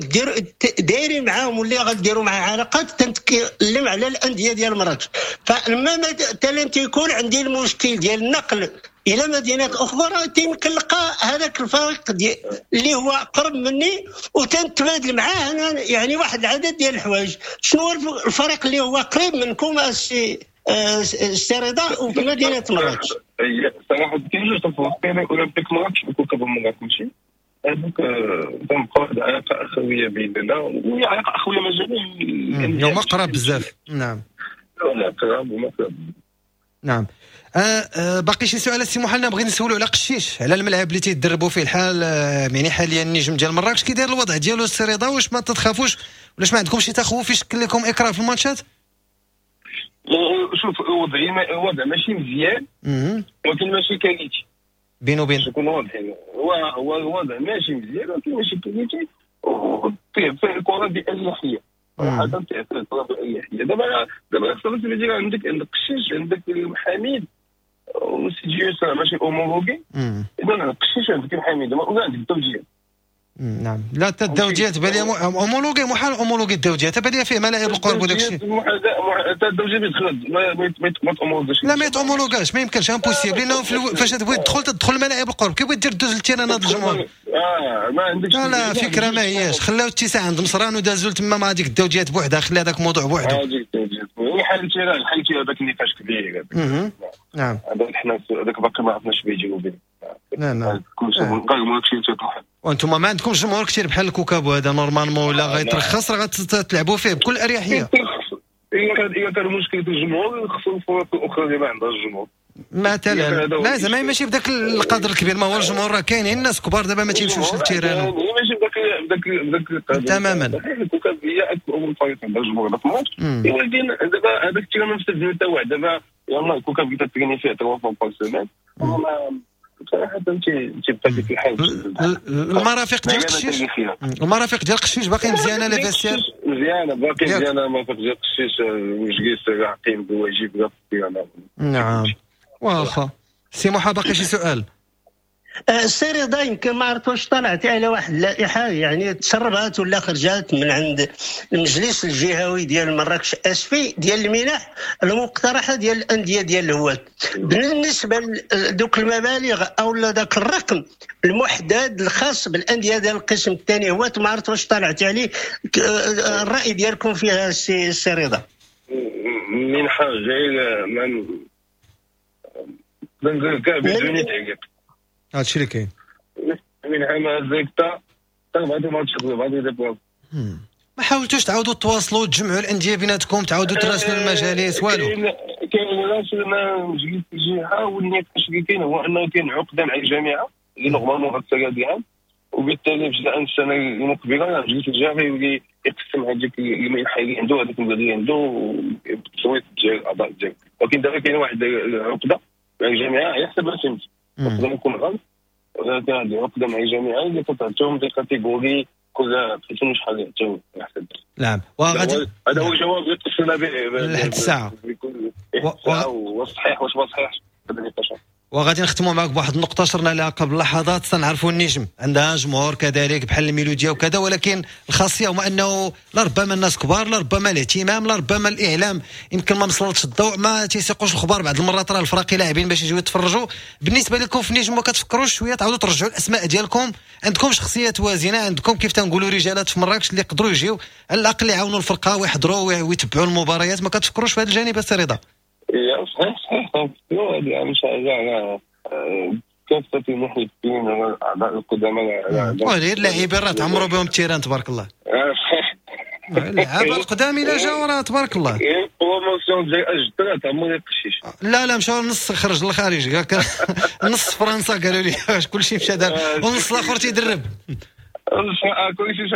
Speaker 4: دايرين معاهم واللي غديروا معاه علاقات؟ تنتكلم على الاندية ديال مراكش. فلما مثلا تيكون عندي المشكل ديال النقل الى مدينة اخرى تيمكن نلقى هذاك الفريق اللي هو اقرب مني وتنتبادل معاه انا يعني واحد العدد ديال الحوايج. شنو هو الفريق اللي هو قريب منكم السي السي رضا وفي مدينة مراكش؟
Speaker 5: صراحة كاين جوج الفرق، كاين اولمبيك مراكش وكوكب مراكش. هذوك تنبقى واحد العلاقة اخويه بيننا، وهي علاقة اخويه ما جميع
Speaker 2: هما قراب بزاف. نعم
Speaker 5: لا قراب وما قراب.
Speaker 2: نعم. آه آه باقي شي سؤال السي محمد بغيت نسولو على قشيش، على الملعب اللي تيدربوا فيه الحال، آه يعني حاليا النجم ديال مراكش كي داير الوضع ديالو السي رضا؟ واش ما تتخافوش ولاش ما عندكمش شي تخوف يشكل لكم اكراه في الماتشات؟
Speaker 5: شوف الوضع الوضع ماشي مزيان ولكن ماشي qualité.
Speaker 2: بين وبين
Speaker 5: نكونوا واضحين، هو هو الوضع ماشي مزيان ولكن ماشي qualité، وفيه فيه الكره بأريحية صراحة، فيه الكره بأريحية. دابا دابا خصك تجي عندك عندك قشيش، عندك المحاميد وسيجيوس ماشي homologué. اذا قشيش عندك المحاميد ولا عندك الدوجيه.
Speaker 2: نعم لا حتى الدوجيه تبان لي homologué، محال homologué الدوجيه تبان لي فيه ملاعب القرب وداك الشيء.
Speaker 5: حتى الدوجيه بيدخل ما تأومولوغاش.
Speaker 2: لا ما يتأومولوغاش، ما يمكنش، impossible، لانه فاش تبغي تدخل تدخل ملاعب القرب، كي بغيت دير دوز لل terrain هذا الجمهور.
Speaker 5: اه ما عندكش.
Speaker 2: لا لا فكرة ما هياش، خلاو اتساع عند مصران ودازوا تما مع هذيك الدوجيات بوحدها، خلي هذاك الموضوع بوحده.
Speaker 5: هذيك الدوجيات حل ال terrain، حل هذاك النقاش كبير.
Speaker 2: نعم
Speaker 5: هذاك حنا هذاك باقي ما عرفناش بيجيو به.
Speaker 2: نعم نعم
Speaker 5: كلشي كلشي تيطيح.
Speaker 2: وانتم ما عندكمش جمهور كثير بحال الكوكب وهذا normalement ولا غيترخص راه غتلعبوا فيه بكل اريحية.
Speaker 5: الا كان الا كان مشكل في الجمهور خصو الفرق الاخرى اللي ما عندهاش الجمهور
Speaker 2: مثلا. لا زعما ماشي بداك القدر الكبير، ما هو الجمهور راه كاينين الناس كبار دابا ما تيمشيوش لل terrain،
Speaker 5: ماشي بداك بداك بداك القدر
Speaker 2: تماما.
Speaker 5: الكوكب هي اكبر فريق عندها الجمهور في الماتش، ولكن دابا هذاك ال terrain ما مستفدين حتى واحد. دابا يلاه الكوكب كتريني فيه ثلاثة fois par semaine، بصراحة تيبقى ديك الحال.
Speaker 2: المرافق ديال قشيش، المرافق ديال قشيش باقي مزيانه، les vestiaires
Speaker 5: مزيانه، باقي مزيانه المرافق ديال قشيش، والجليس عاقين بواجب.
Speaker 2: نعم واخا سي محا باقي شي سؤال؟
Speaker 4: السي رضا، يمكن ما عرفت واش طلعتي على واحد اللائحة يعني تسربات ولا خرجات من عند المجلس الجهوي ديال مراكش اسفي ديال المنح المقترحة ديال الاندية ديال الهواة. بالنسبة لدوك المبالغ او ذاك الرقم المحدد الخاص بالاندية ديال القسم الثاني هواة، ما عرفت واش طلعتي عليه، الراي ديالكم فيها السي رضا؟
Speaker 5: منحه غير ما نقول كاع بدون تعقيب،
Speaker 2: هادشي اللي كاين.
Speaker 5: من عام زيكتا بعد ما تشوفوا بعد دابا
Speaker 2: ما حاولتوش تعاودوا تواصلوا تجمعوا الاندية بيناتكم، تعاودوا تراسلوا المجالس؟ والو
Speaker 5: كاين راسلنا مجلس الجهة، والنقاش اللي كاين هو انه كاين عقده مع الجامعة اللي normalement غتسالي هذا العام، وبالتالي في السنة المقبلة مجلس الجهة غيولي يقسم هذيك المنحة اللي عنده هذاك المبلغ اللي عنده بالتصويت ديال الاعضاء ديالو. ولكن دابا كاين واحد العقدة مع الجامعة على حسب ما فهمت، نقدر نكون غلط، كان عندي عقده مع الجامعة اللي تعطيهم des catégories كل بحيث شحال يعطيو على حسب.
Speaker 2: نعم، وغادي
Speaker 5: هذا هو الجواب اللي اتصلنا به
Speaker 2: لحد الساعة
Speaker 5: واش صحيح واش ما صحيحش هذا النقاش.
Speaker 2: وغادي نختموا معك بواحد النقطة شرنا لها قبل لحظات. تنعرفوا النجم عندها جمهور كذلك بحال الميلوديا وكذا، ولكن الخاصية هو انه لربما الناس كبار، لربما الاهتمام، لربما الاعلام يمكن ما وصلتش الضوء، ما تيسيقوش الخبار بعض المرات، راه الفراقي لاعبين باش يجيو يتفرجوا. بالنسبة لكم في النجم ما كتفكروش شوية تعاودوا ترجعوا الاسماء ديالكم؟ عندكم شخصيات وازنه، عندكم كيف تنقولوا رجالات في مراكش اللي يقدروا يجيو على الاقل يعاونوا الفرقة ويحضروا ويتبعوا المباريات، ما كتفكروش في هذا الجانب السي رضا؟
Speaker 5: صحيح صحيح، تنفكروا هذه ان شاء الله كافة المحيطين الاعضاء القدامى.
Speaker 2: غير اللاعبين راه تعمروا بهم ال terrain تبارك الله.
Speaker 5: صحيح،
Speaker 2: اللعابه القدام الا جاو راه تبارك الله.
Speaker 5: promotion ديال اجداد تعمر القشيش.
Speaker 2: لا لا، مشاو نص خرج للخارج، نص فرنسا قالوا لي كلشي مشى دار، ونص الاخر تيدرب.
Speaker 5: كلشي مشى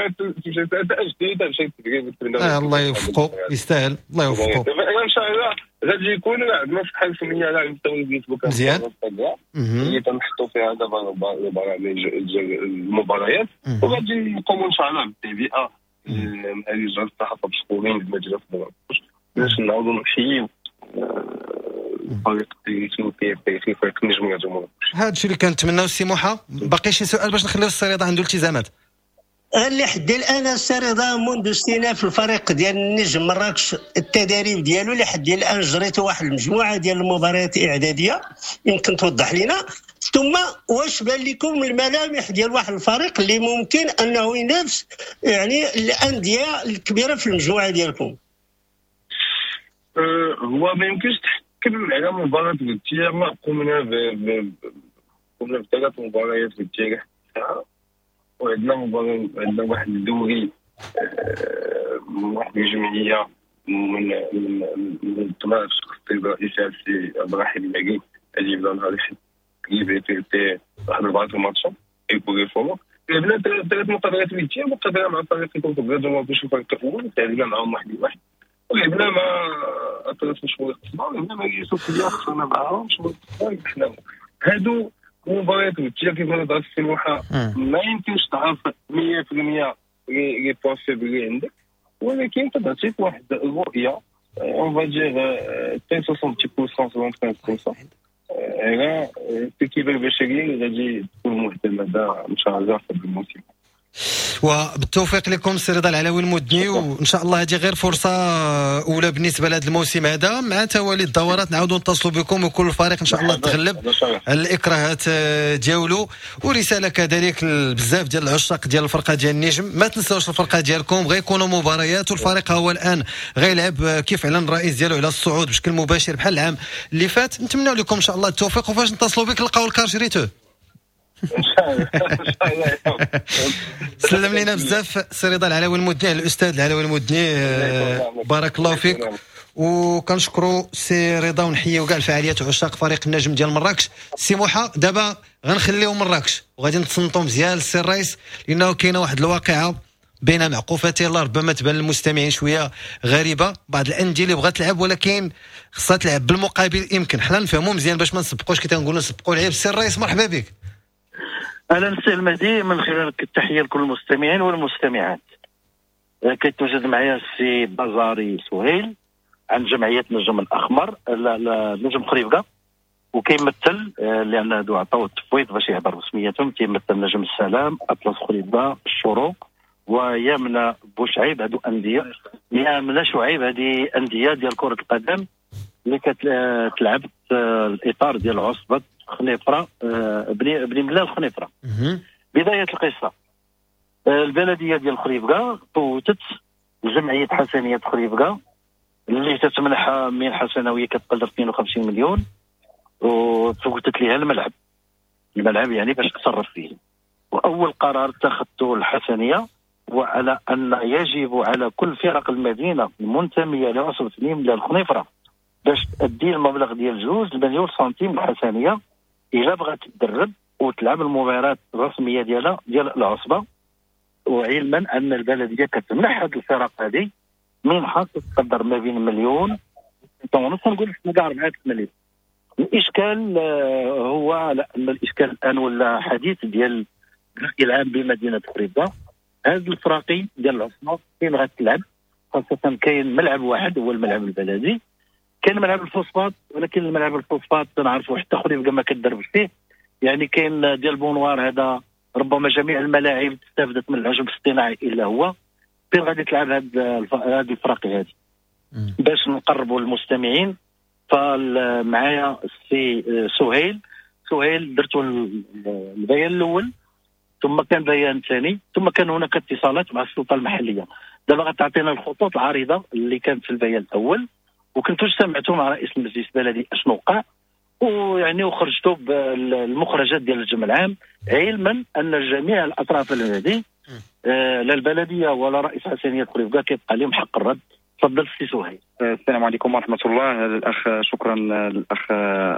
Speaker 5: جديد مشى تدريب.
Speaker 2: الله يوفقو، يستاهل، الله يوفقو.
Speaker 5: ان شاء الله غادي يكون عندنا صفحة رسمية على مستوى الفيسبوك
Speaker 2: مزيان
Speaker 5: اللي تنحطوا فيها دابا البرامج ديال المباريات، وغادي نقوموا ان شاء الله بالتهيئه مع لجان الصحافة بشكورين المجلس مراكش باش نعاودوا نحييو الفريق التاريخي فريق النجم ديال مراكش.
Speaker 2: هذا الشيء اللي كنتمناو. السي موحى، باقي شي سؤال باش نخليو السي رضا عنده التزامات؟
Speaker 4: اللي حد الان السي رضا منذ استئناف الفريق ديال النجم مراكش التدريب ديالو لحد الان جريتو واحد المجموعة ديال المباريات الاعدادية، يمكن توضح لنا ثم واش بان لكم الملامح ديال واحد الفريق اللي ممكن انه ينافس يعني الاندية الكبيرة في المجموعة ديالكم؟
Speaker 5: أه هو ما يمكنش تحكم على مباراة وديه، ما قمنا ب قمنا بثلاث مباريات وديه الساعة، وعندنا مباراة، عندنا واحد الدوري أه واحد الجمعية من من من طبعا الشخص الرئيسي السي عبد الرحيم الماكي اللي بدا نهار الأحد اللي في واحد أربعة الماتشات اي فورما. لعبنا ثلاث مقابلات وديه، مقابله مع فريق كونتر مراكش الفريق الاول تعادلنا معاهم واحد لواحد، ولعبنا مع اطلس مشوار القصبة، ولعبنا مع اليوسفيه خسرنا معاهم مشوار القصبة ربحناهم. هادو مباريات وديه كيف ما هضرت السي موحى ما يمكنش تعرف مية في المية les points faibles اللي عندك، ولكن تعطيك واحد الرؤية on va dire soixante-dix pour cent soixante-quinze pour cent على التركيبة البشرية اللي غادي تكون معتمدة ان شاء الله في الموسم.
Speaker 2: وبالتوفيق لكم سي رضا العلوي المدني، وان شاء الله هذه غير فرصة اولى بالنسبة لهذا الموسم هذا، مع توالي الدورات نعاودوا نتصلوا بكم وكل فريق ان شاء الله تغلب على الاكراهات ديالو. ورسالة كذلك بزاف ديال العشاق ديال الفرقة ديال النجم، ما تنساوش الفرقة ديالكم، غيكونوا مباريات والفريق هو الان غيلعب كيف اعلن الرئيس ديالو على الصعود بشكل مباشر بحال العام اللي فات. نتمنى لكم ان شاء الله التوفيق، وفاش نتصلوا بك نلقاو الكار شريتوه
Speaker 5: ان شاء الله.
Speaker 2: سلم لينا بزاف سي رضا العلوي المدني، الاستاذ العلوي المدني، بارك الله فيك. وكنشكروا سي رضا ونحييو كاع الفعاليات وعشاق فريق النجم ديال مراكش. سي موحى، دابا غنخليو مراكش وغادي نتصنتو مزيان للسي الرئيس، لانه كاينه واحد الواقعة بين معقوفتين الله ربما تبان للمستمعين شوية غريبة، بعض الاندية اللي بغات تلعب ولكن خصها تلعب بالمقابل، يمكن حنا نفهموا مزيان باش ما نسبقوش كي تنقولوا نسبقوا العيب. سي الرئيس مرحبا بك.
Speaker 6: اهلا سي المهدي، من خلالك التحية لكل المستمعين والمستمعات. كيتواجد معايا السي بازاري سهيل عن جمعية نجم الاحمر، لا لا نجم خريبكه. وكيمثل لان هادو عطاو التفويض باش يهضر بسميتهم، كيمثل نجم السلام، اطلس خريبكة، الشروق، ويامنه بوشعيب. هادو اندية يامنه شعيب، هذه اندية ديال كره القدم اللي كتلعب في الاطار ديال عصبه خنيفره، بني بني ملال خنيفره. بداية القصة، البلدية ديال خريبكة فوتت جمعية حسنيه خريبكة اللي تتمنح منحه سنوية كتقدر اثنين وخمسين مليون، وفوتت لها الملعب، الملعب يعني باش تصرف فيه. واول قرار اتخذته الحسنيه وعلى ان يجب على كل فرق المدينة المنتميه لعصبه بني ملال الخنيفره باش تأدي المبلغ ديال جوج مليون سنتيم الحسنيه الا بغات تدرب وتلعب المباريات الرسمية ديالها ديال العصبة. وعلما ان البلدية كتمنح هذه الفرق هذه منحه تقدر ما بين مليون ونص نقول كاع أربعة مليون. الاشكال هو على ان الاشكال الان ولا حديث ديال الراي العام بمدينة خريبكة، هاد الفراقي ديال العصبة فين غتلعب؟ خاصة كاين ملعب واحد هو الملعب البلدي، كاين ملعب الفوسفات، ولكن الملعب الفوسفات نعرفوا حتى خريبكة ما كدربش فيه، يعني كاين ديال بونوار هذا ربما جميع الملاعب استفدت من العشب الاصطناعي الا هو. فين غادي تلعب هاد هاد الفراقي هادي؟ باش نقربوا المستمعين، فمعايا السي سهيل. سهيل درتوا البيان الاول، ثم كان بيان ثاني، ثم كان هناك اتصالات مع السلطة المحلية. دابا غتعطينا الخطوط العريضة اللي كانت في البيان الاول، وكنتوا اجتمعتوا مع رئيس المجلس البلدي اشنو وقع، ويعني وخرجتوا بالمخرجات ديال الجمع العام، علما ان جميع الاطراف البلدي آه لا البلدية ولا رئيس حسنيه خريبكة كيبقى لهم حق الرد. تفضل سي سهيل.
Speaker 7: السلام عليكم ورحمة الله. الاخ شكرا الاخ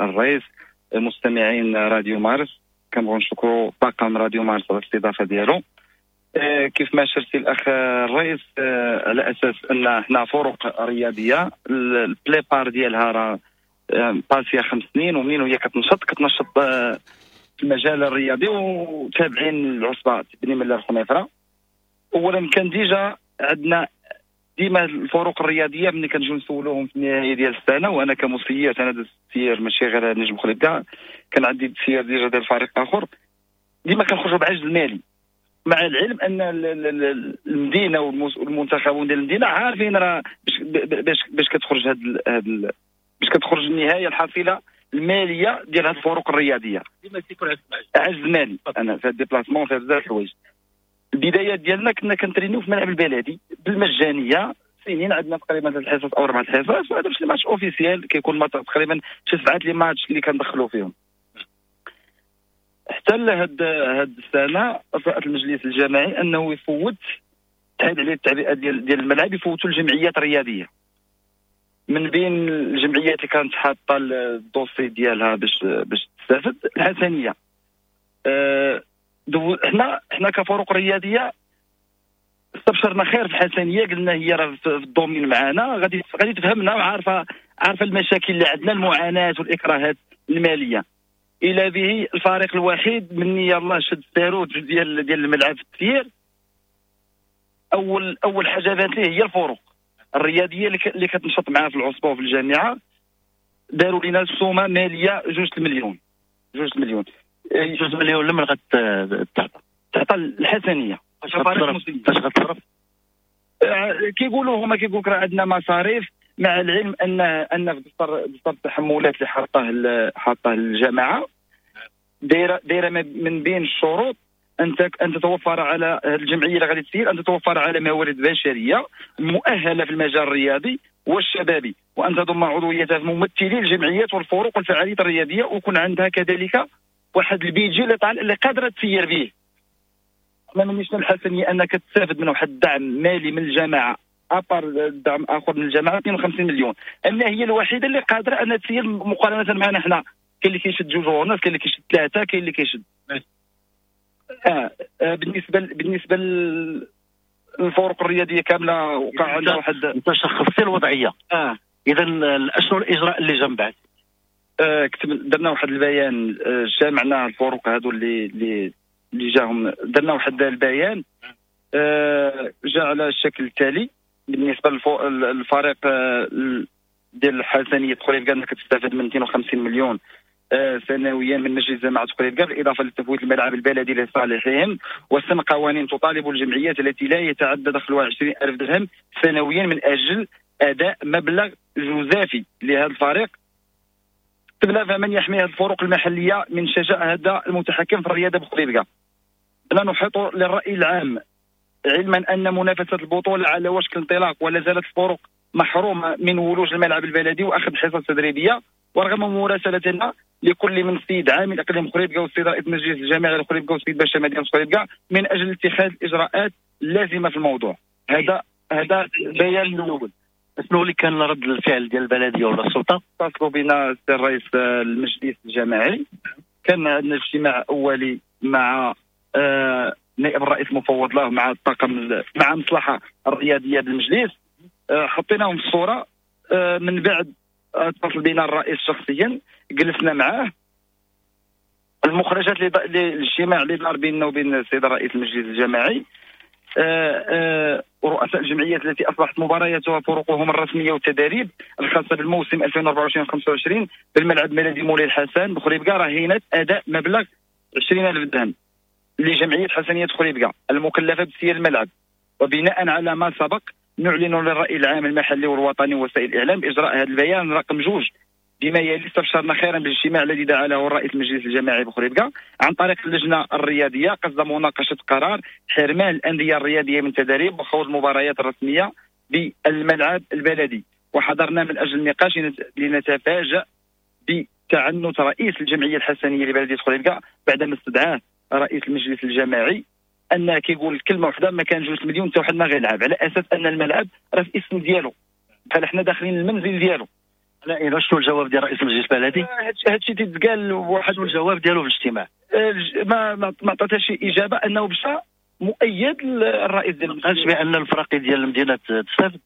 Speaker 7: الرئيس، المستمعين راديو مارس، كنبغيو نشكروا طاقم راديو مارس على الاستضافة ديالو. كيف ما شرتي الاخ الرئيس، على اساس ان حنا فرق رياضية la plupart ديالها راه passé خمس سنين، ومنين وهي كتنشط كتنشط في المجال الرياضي وتابعين العصبة بني ملال الخنيفره. اولا كان déjà عندنا ديما الفروق الرياضية ملي كنجيو نسولوهم في النهاية ديال السنة، وانا كمسير انا درت التسيير ماشي غير نجم خريبكة، كان عندي التسيير déjà ديال فريق اخر، ديما كنخرجوا بعجز مالي، مع العلم ان المدينة والمنتخبون ديال المدينة عارفين راه باش باش كتخرج هاد هاد باش كتخرج النهاية الحصيلة المالية ديال هاد الفروق الرياضية.
Speaker 6: ديما تيكون
Speaker 7: عجز مالي، انا في déplacement في بزاف الحوايج. البدايات ديالنا كنا كنترينيو في الملعب البلدي بالمجانيه سنين، عندنا تقريبا ثلاث حصص او اربع حصص، وهذا باش les matchs officiels كيكون تقريبا شي سبعة les matchs اللي كندخلوا فيهم. حتى لهاد هاد السنة رأت المجلس الجماعي انه يفوت تحيد عليه التعبئه ديال ديال الملعب، يفوتوا الجمعيات الرياضية. من بين الجمعيات اللي كانت حاطه ال dossier ديالها باش باش تستافد الحسنيه. أه حنا حنا كفرق رياضية استبشرنا خير في الحسنيه، قلنا هي راه في ال domaine معانا، غادي غادي تفهمنا وعارفه عارفه المشاكل اللي عندنا، المعاناة والاكراهات المالية. الى به الفريق الوحيد مني يلاه شد الساروت ديال ديال الملعب في التسيير، اول اول حاجة بانت ليه هي الفروق الرياضية اللي كتنشط معاها في العصبة وفي الجامعة. داروا لنا السومه ماليه جوج المليون، جوج المليون
Speaker 6: جوج مليون لمن غتعطى؟
Speaker 7: تعطى الحسنيه.
Speaker 6: فاش غتصرف؟
Speaker 7: كيقولوا هما كيقولوا راه عندنا مصاريف، مع العلم ان ان في دفتر دفتر التحملات اللي حاطاه حاطاه الجماعة دايرة دايرة من بين الشروط ان ان تتوفر على الجمعية اللي غادي تسير ان تتوفر على موارد بشرية مؤهلة في المجال الرياضي والشبابي، وان تضم عضويتها في ممثلي الجمعيات والفروق والفعاليات الرياضية، ويكون عندها كذلك واحد ال budget اللي اللي قادرة تسير به. حنا مانيش الحسنيه انك تستافد من واحد الدعم مالي من الجماعة à part دعم اخر من الجماعة اثنين وخمسين مليون، ان هي الوحيدة اللي قادرة انها تسير مقارنة معنا حنا. كاين اللي كيشد جوج ونص، كاين اللي كيشد ثلاثة، كاين اللي كيشد آه. آه بالنسبة بالنسبة للفروق الرياضية كاملة وقع عندها واحد.
Speaker 6: انت شخصتي الوضعية.
Speaker 7: اه
Speaker 6: اذا اشنو الاجراء اللي جا من بعد؟
Speaker 7: آه كتب درنا واحد البيان، آه جمعنا الفروق هادو اللي اللي اللي جاهم، درنا واحد البيان آه جا على الشكل التالي. بالنسبة للفريق آه ديال الحسنيه خريبكة كتستافد من مئتين وخمسين مليون سنويا من مجلس جماعة خريبكة، بالاضافة لتفويت الملعب البلدي لصالحهم، وسن قوانين تطالب الجمعيات التي لا يتعدى دخلها عشرين ألف درهم سنويا من اجل اداء مبلغ جزافي لهذا الفريق. تبلا فمن يحمي هذه الفروق المحلية من شجاع هذا المتحكم في الرياضة بخريبكة. لا نحيط للراي العام، علما ان منافسه البطولة على وشك الانطلاق ولا زالت الفروق محرومة من ولوج الملعب البلدي واخذ حصص تدريبية، ورغم مراسلتنا لكل من السيد عامل اقليم خريبكة والسيد رئيس المجلس الجامعي لخريبكة والسيد باشا مدينة خريبكة من اجل اتخاذ الاجراءات اللازمة في الموضوع. هذا هذا البيان الاول.
Speaker 6: شنو اللي كان رد الفعل ديال البلدية ولا السلطة؟
Speaker 7: اتصلوا بنا السيد رئيس المجلس الجامعي، كان عندنا اجتماع اولي مع آه نائب الرئيس المفوض له، مع الطاقم، مع المصلحة الرياضية بالمجلس، آه حطيناهم في الصورة. آه من بعد اتصل بنا الرئيس شخصيا، جلسنا معاه. المخرجات للاجتماع اللي دار بيننا وبين السيد رئيس المجلس الجماعي، آه آه ورؤساء الجمعيات التي اصبحت مبارياتها فروقهم الرسمية والتدريب الخاصة بالموسم ألفين وأربعة وعشرين خمسة وعشرين بالملعب الملدي مولاي الحسن بخريبكة رهينة اداء مبلغ عشرين ألف درهم لجمعية حسنيه خريبكة المكلفه بسير الملعب. وبناء على ما سبق نعلن للرأي العام المحلي والوطني ووسائل الإعلام إجراء هذا البيان رقم جوج بما يلي. استبشرنا خيرا بالاجتماع الذي دعا له الرئيس المجلس الجماعي بخريبكة عن طريق اللجنة الرياضية قصد مناقشة قرار حرمان الأندية الرياضية من تدريب وخوض المباريات الرسمية بالملعب البلدي، وحضرنا من أجل النقاش لنتفاجأ بتعنت رئيس الجمعية الحسنية لبلدية خريبكة بعدما استدعاه رئيس المجلس الجماعي ان كيقول كلمة واحدة، ما كان جوج مليون حتى واحد ما غيلعب، على اساس ان الملعب راه في اسم ديالو، بحال حنا داخلين المنزل ديالو.
Speaker 6: لا إيه، شنو الجواب ديال رئيس المجلس البلدي؟
Speaker 7: هادشي تيتقال واحد
Speaker 6: الجواب ديالو في الاجتماع
Speaker 7: ما ما عطاتش شي اجابه، انه مشى مؤيد الرئيس ديال
Speaker 6: ما قالش بان الفراقي ديال المدينة تستافد.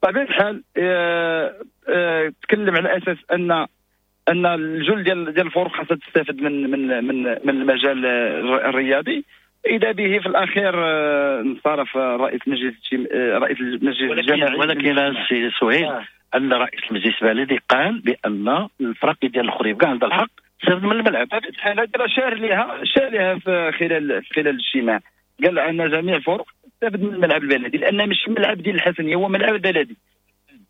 Speaker 7: بطبيعة الحال اه اه تكلم على اساس ان ان الجل ديال ديال الفروق خاصها تستافد من من من من المجال الرياضي. اذا به في الاخير انصرف رئيس المجلس رئيس المجلس الجماعي.
Speaker 6: ولكن السي سهيل آه. ان رئيس المجلس البلدي قال بان الفراقي ديال الخريبكة عندها الحق تستافد من الملعب.
Speaker 7: بطبيعة الحال هذا شار لها شار لها في خلال في خلال الاجتماع، قال ان جميع الفرق تستافد من الملعب البلدي لان مش الملعب ديال الحسنيه، هو ملعب البلدي.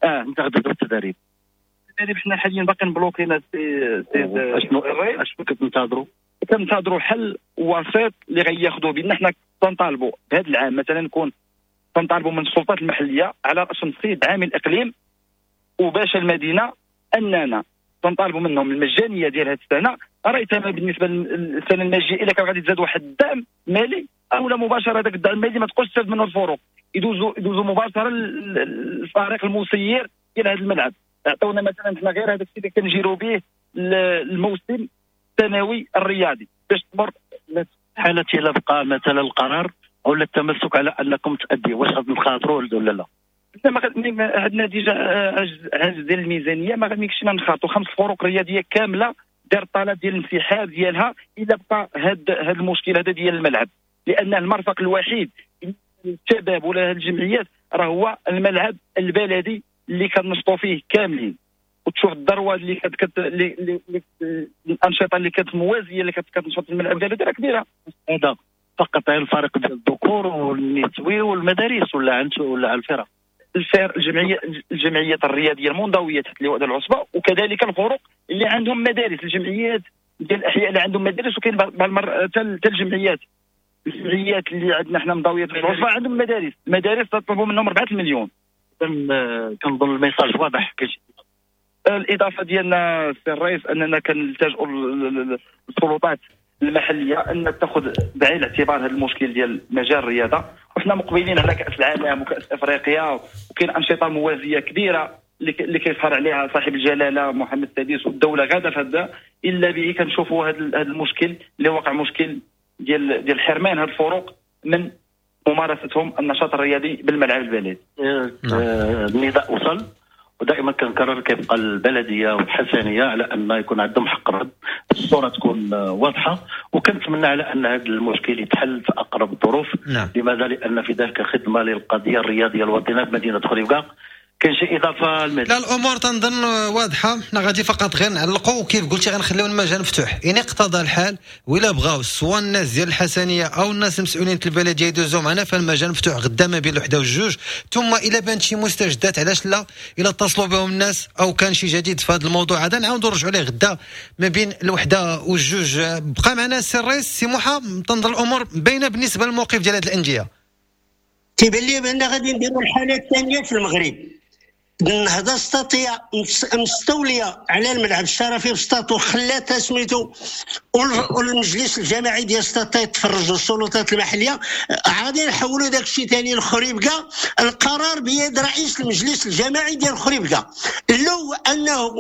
Speaker 6: اه انت غتبدا التدريب.
Speaker 7: التدريب حنا حاليا باقي مبلوكينا سي سي
Speaker 6: اشنو اشنو كتنتظروا؟
Speaker 7: كنتظروا حل وسيط اللي غياخذوه بان حنا تنطالبوا بهذا العام مثلا نكون تنطالبوا من السلطات المحلية على راسهم السيد عامل الاقليم وباشا المدينة اننا تنطالبوا منهم المجانية ديال هذه السنة، رأيتها بالنسبة للسنة الماجيه الا كان غادي تزاد واحد الدعم مالي او لا مباشرة هذاك الدعم المالي ما تبقاش تستافد منه الفروق، يدوزوا يدوزوا مباشرة للفريق المسير ديال هذا الملعب. عطونا مثلا حنا غير هذاك الشيء اللي كنجيروا به الموسم الثانوي الرياضي باش تمر
Speaker 6: حالة الا بقى مثلا القرار او التمسك على انكم تأدي، واش غادي نخاطروا ولا لا؟
Speaker 7: ما عندنا déjà عجز عجز ديال الميزانية، ما غاديش نخاطروا. خمس فروق رياضية كاملة دار طلب ديال الانسحاب ديالها الا بقى هذا هذا المشكل هذا ديال الملعب، لان المرفق الوحيد للشباب ولا هاد الجمعيات راه هو الملعب البلدي اللي كنشطوا فيه كاملين. وتشوف الذروة اللي كت اللي الانشطة اللي كانت موازية اللي كتنشط في الملعب البلدي راه كبيرة.
Speaker 6: هذا فقط على الفريق ديال الذكور والنسوي والمدارس ولا عند ولا على الفرق؟
Speaker 7: الفرق الجمعية الجمعيات الرياضية المنضويه تحت لواء العصبة، وكذلك الفرق اللي عندهم مدارس، الجمعيات ديال الاحياء اللي عندهم مدارس، وكاين بعض المرات حتى الجمعيات الجمعيات اللي عندنا حنا منضويه تحت العصبة عندهم مدارس، المدارس تطلبوا منهم أربعة المليون.
Speaker 6: كنظن ال message واضح.
Speaker 7: الاضافة ديالنا سي الرئيس اننا كنلتجئوا للسلطات المحلية ان تاخذ بعين الاعتبار هذا المشكل ديال مجال الرياضة، وحنا مقبلين على كاس العالم وكاس افريقيا، وكاين انشطة موازية كبيرة اللي كيسهر عليها صاحب الجلاله محمد السادس والدولة غاده في هذا، الا به كنشوفوا هذا المشكل اللي وقع مشكل ديال ديال حرمان هذه الفروق من ممارستهم النشاط الرياضي بالملعب البلدي.
Speaker 6: النداء وصل، ودائما كنكرر كيبقى البلدية والحسنيه على ان يكون عندهم حق الرد، الصورة تكون واضحة، وكنتمنى على ان هذا المشكل يتحل في اقرب الظروف. نعم. لماذا؟ لان في ذلك خدمة للقضية الرياضية الوطنية بمدينة خريبكة. كاين شي اضافه المهدي؟
Speaker 2: لا، الامور تنظن واضحة، حنا غادي فقط غير نعلقوا، وكيف قلتي غنخليو المجال مفتوح ان اقتضى الحال، ولا بغاو سواء الناس ديال الحسنيه او الناس المسؤولين البلدية يدوزوا معنا، فالمجال مفتوح غدا ما بين الوحدة والجوج. ثم الا بانت شي مستجدات علاش لا، الا اتصلوا بهم الناس او كان شي جديد في هذا الموضوع هذا نعاودوا نرجعوا ليه غدا ما بين الوحدة والجوج. بقى معنا السي الرئيس سي موحى، تنظن الامور باينة بالنسبة للموقف ديال هذه الاندية.
Speaker 4: تيبان لي بان غادي نديروا الحالة الثانية في المغرب، النهضة السطاطيه مستوليه على الملعب الشرفي بسطاط وخلاتها سميتو، والمجلس الجماعي ديال سطاط يتفرجوا السلطات المحلية، غادي نحولوا داك الشيء ثاني لخريبكا. القرار بيد رئيس المجلس الجماعي ديال خريبكا، لو انه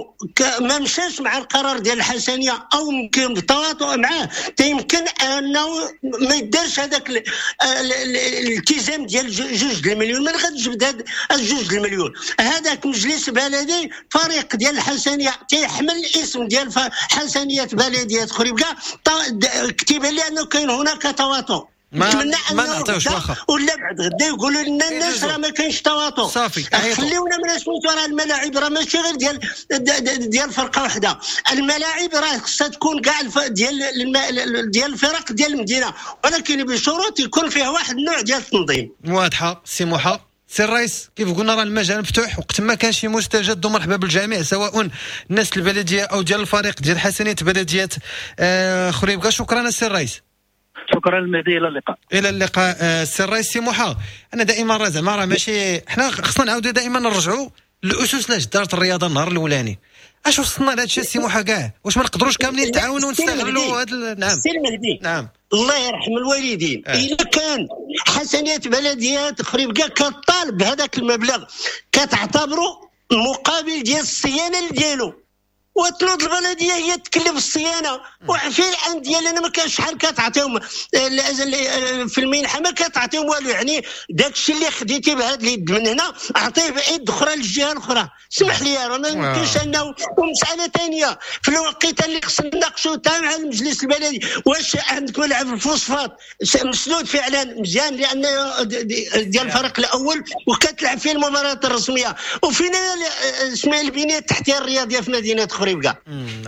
Speaker 4: ما مشاش مع القرار ديال الحسنيه او يمكن بالتواطؤ معاه، تيمكن انه ما يدارش هذاك الالتزام ديال جوج المليون. من غتجبد هاد جوج المليون؟ هذا مجلس بلدي فريق ديال الحسنيه تيحمل الاسم ديال حسنيه بلديه خريبكا، كتب لي انه كاين هناك تواطؤ.
Speaker 2: نتمنى انه
Speaker 4: ولا بعد غدا يقولوا لنا الناس راه ما كاينش تواطؤ.
Speaker 2: صافي
Speaker 4: خليونا من سميتو، راه الملاعب راه ماشي غير ديال ديال فرقه واحدة، الملاعب راه خصها تكون كاع ديال ديال الفرق ديال المدينة، ولكن بشروط يكون فيها واحد النوع ديال التنظيم.
Speaker 2: واضحة سي موحى. سي الرئيس كيف قلنا راه المجال مفتوح، وقت ما كان شي مستجد مرحبا بالجميع، سواء الناس البلدية او ديال الفريق ديال حسنيه بلديه آه خريبكا. شكرا سي الرئيس.
Speaker 6: شكرا المهدي، الى اللقاء.
Speaker 2: الى اللقاء آه سي الرئيس سي موحى. انا دائما راه زعما راه ماشي حنا خصنا نعاودوا دائما نرجعوا للاسس لاش دارت الرياضة النهار الاولاني. اش وصلنا لهذا الشيء سي موحى كاع؟ واش ما نقدروش كاملين نتعاونوا ونستغلوا هذا؟ نعم
Speaker 4: سي المهدي،
Speaker 2: نعم
Speaker 4: الله يرحم الوالدين. آه. إلا كان حسنية بلديات خريبكا كطالب بهذاك المبلغ كتعتبره مقابل ديال الصيانة ديالو، وتنوض البلدية هي تكلف الصيانة. وفي الاندية لان ما كانش شحال كتعطيهم في المنحة، ما كتعطيهم والو، يعني داك الشيء اللي خديتي بهذا اليد من هنا اعطيه بيد اخرى للجهة الاخرى. سمح لي راه ما يمكنش انه. ومسالة ثانية في الوقيته اللي خصنا نناقشوا تاع مع المجلس البلدي، واش عندك ملعب الفوسفات مسدود فعلا مزيان لان ديال الفريق الاول وكتلعب فيه المباريات الرسمية، وفينا اسمها البنية التحتية الرياضية في مدينة خريبكا.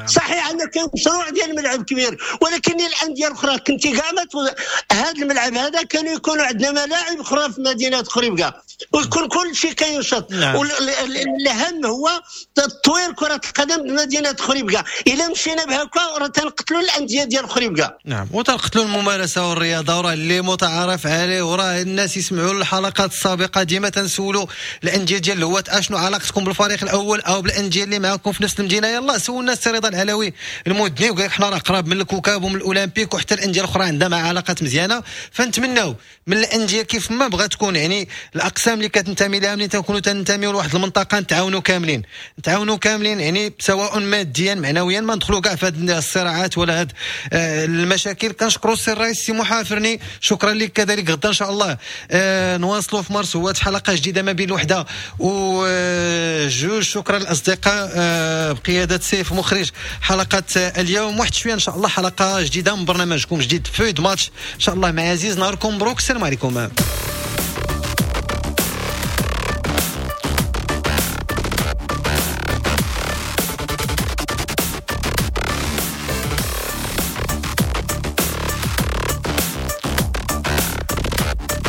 Speaker 4: صحيح ان كاين مشروع ديال الملعب كبير، ولكن الاندية الاخرى كنتي كاع ما هذا الملعب هذا كانوا يكونوا عندنا ملاعب اخرى في مدينة خريبكا ويكون كل شيء كينشط. والاهم هو تطوير كره القدم بمدينة خريبكا. الا مشينا بهكا راه تنقتلوا الاندية ديال خريبكا.
Speaker 2: نعم، وتنقتلوا الممارسة والرياضة، وراه اللي متعارف عليه، وراه الناس يسمعوا الحلقات السابقة ديما تنسولوا الاندية ديال الهواة اشنو علاقتكم بالفريق الاول او بالاندية اللي معاكم في نفس المدينة. يلا سولنا السي رضا العلوي المدني وقال لك حنا راه قراب من الكوكب ومن الاولمبيك، وحتى الاندية الاخرى عندها مع علاقات مزيانه. فنتمناو من الاندية كيف ما بغات تكون، يعني الاقسام اللي كتنتمي لها ملي تنكونوا تنتميو لواحد المنطقة نتعاونوا كاملين، نتعاونوا كاملين يعني سواء ماديا معنويا، ما ندخلوا كاع في هذه الصراعات ولا هذه المشاكل. كنشكروا السي الرئيس سي محافرني، شكرا لك. كذلك غدا ان شاء الله آه نواصلوا في مارس هو حلقة جديدة ما بين الوحدة وجوج. شكرا للاصدقاء آه بقيادة سيف مخرج حلقة اليوم. واحد شوية ان شاء الله حلقة جديدة من برنامجكم جديد فويد ماتش ان شاء الله مع عزيز. نهاركم مبروك، السلام عليكم.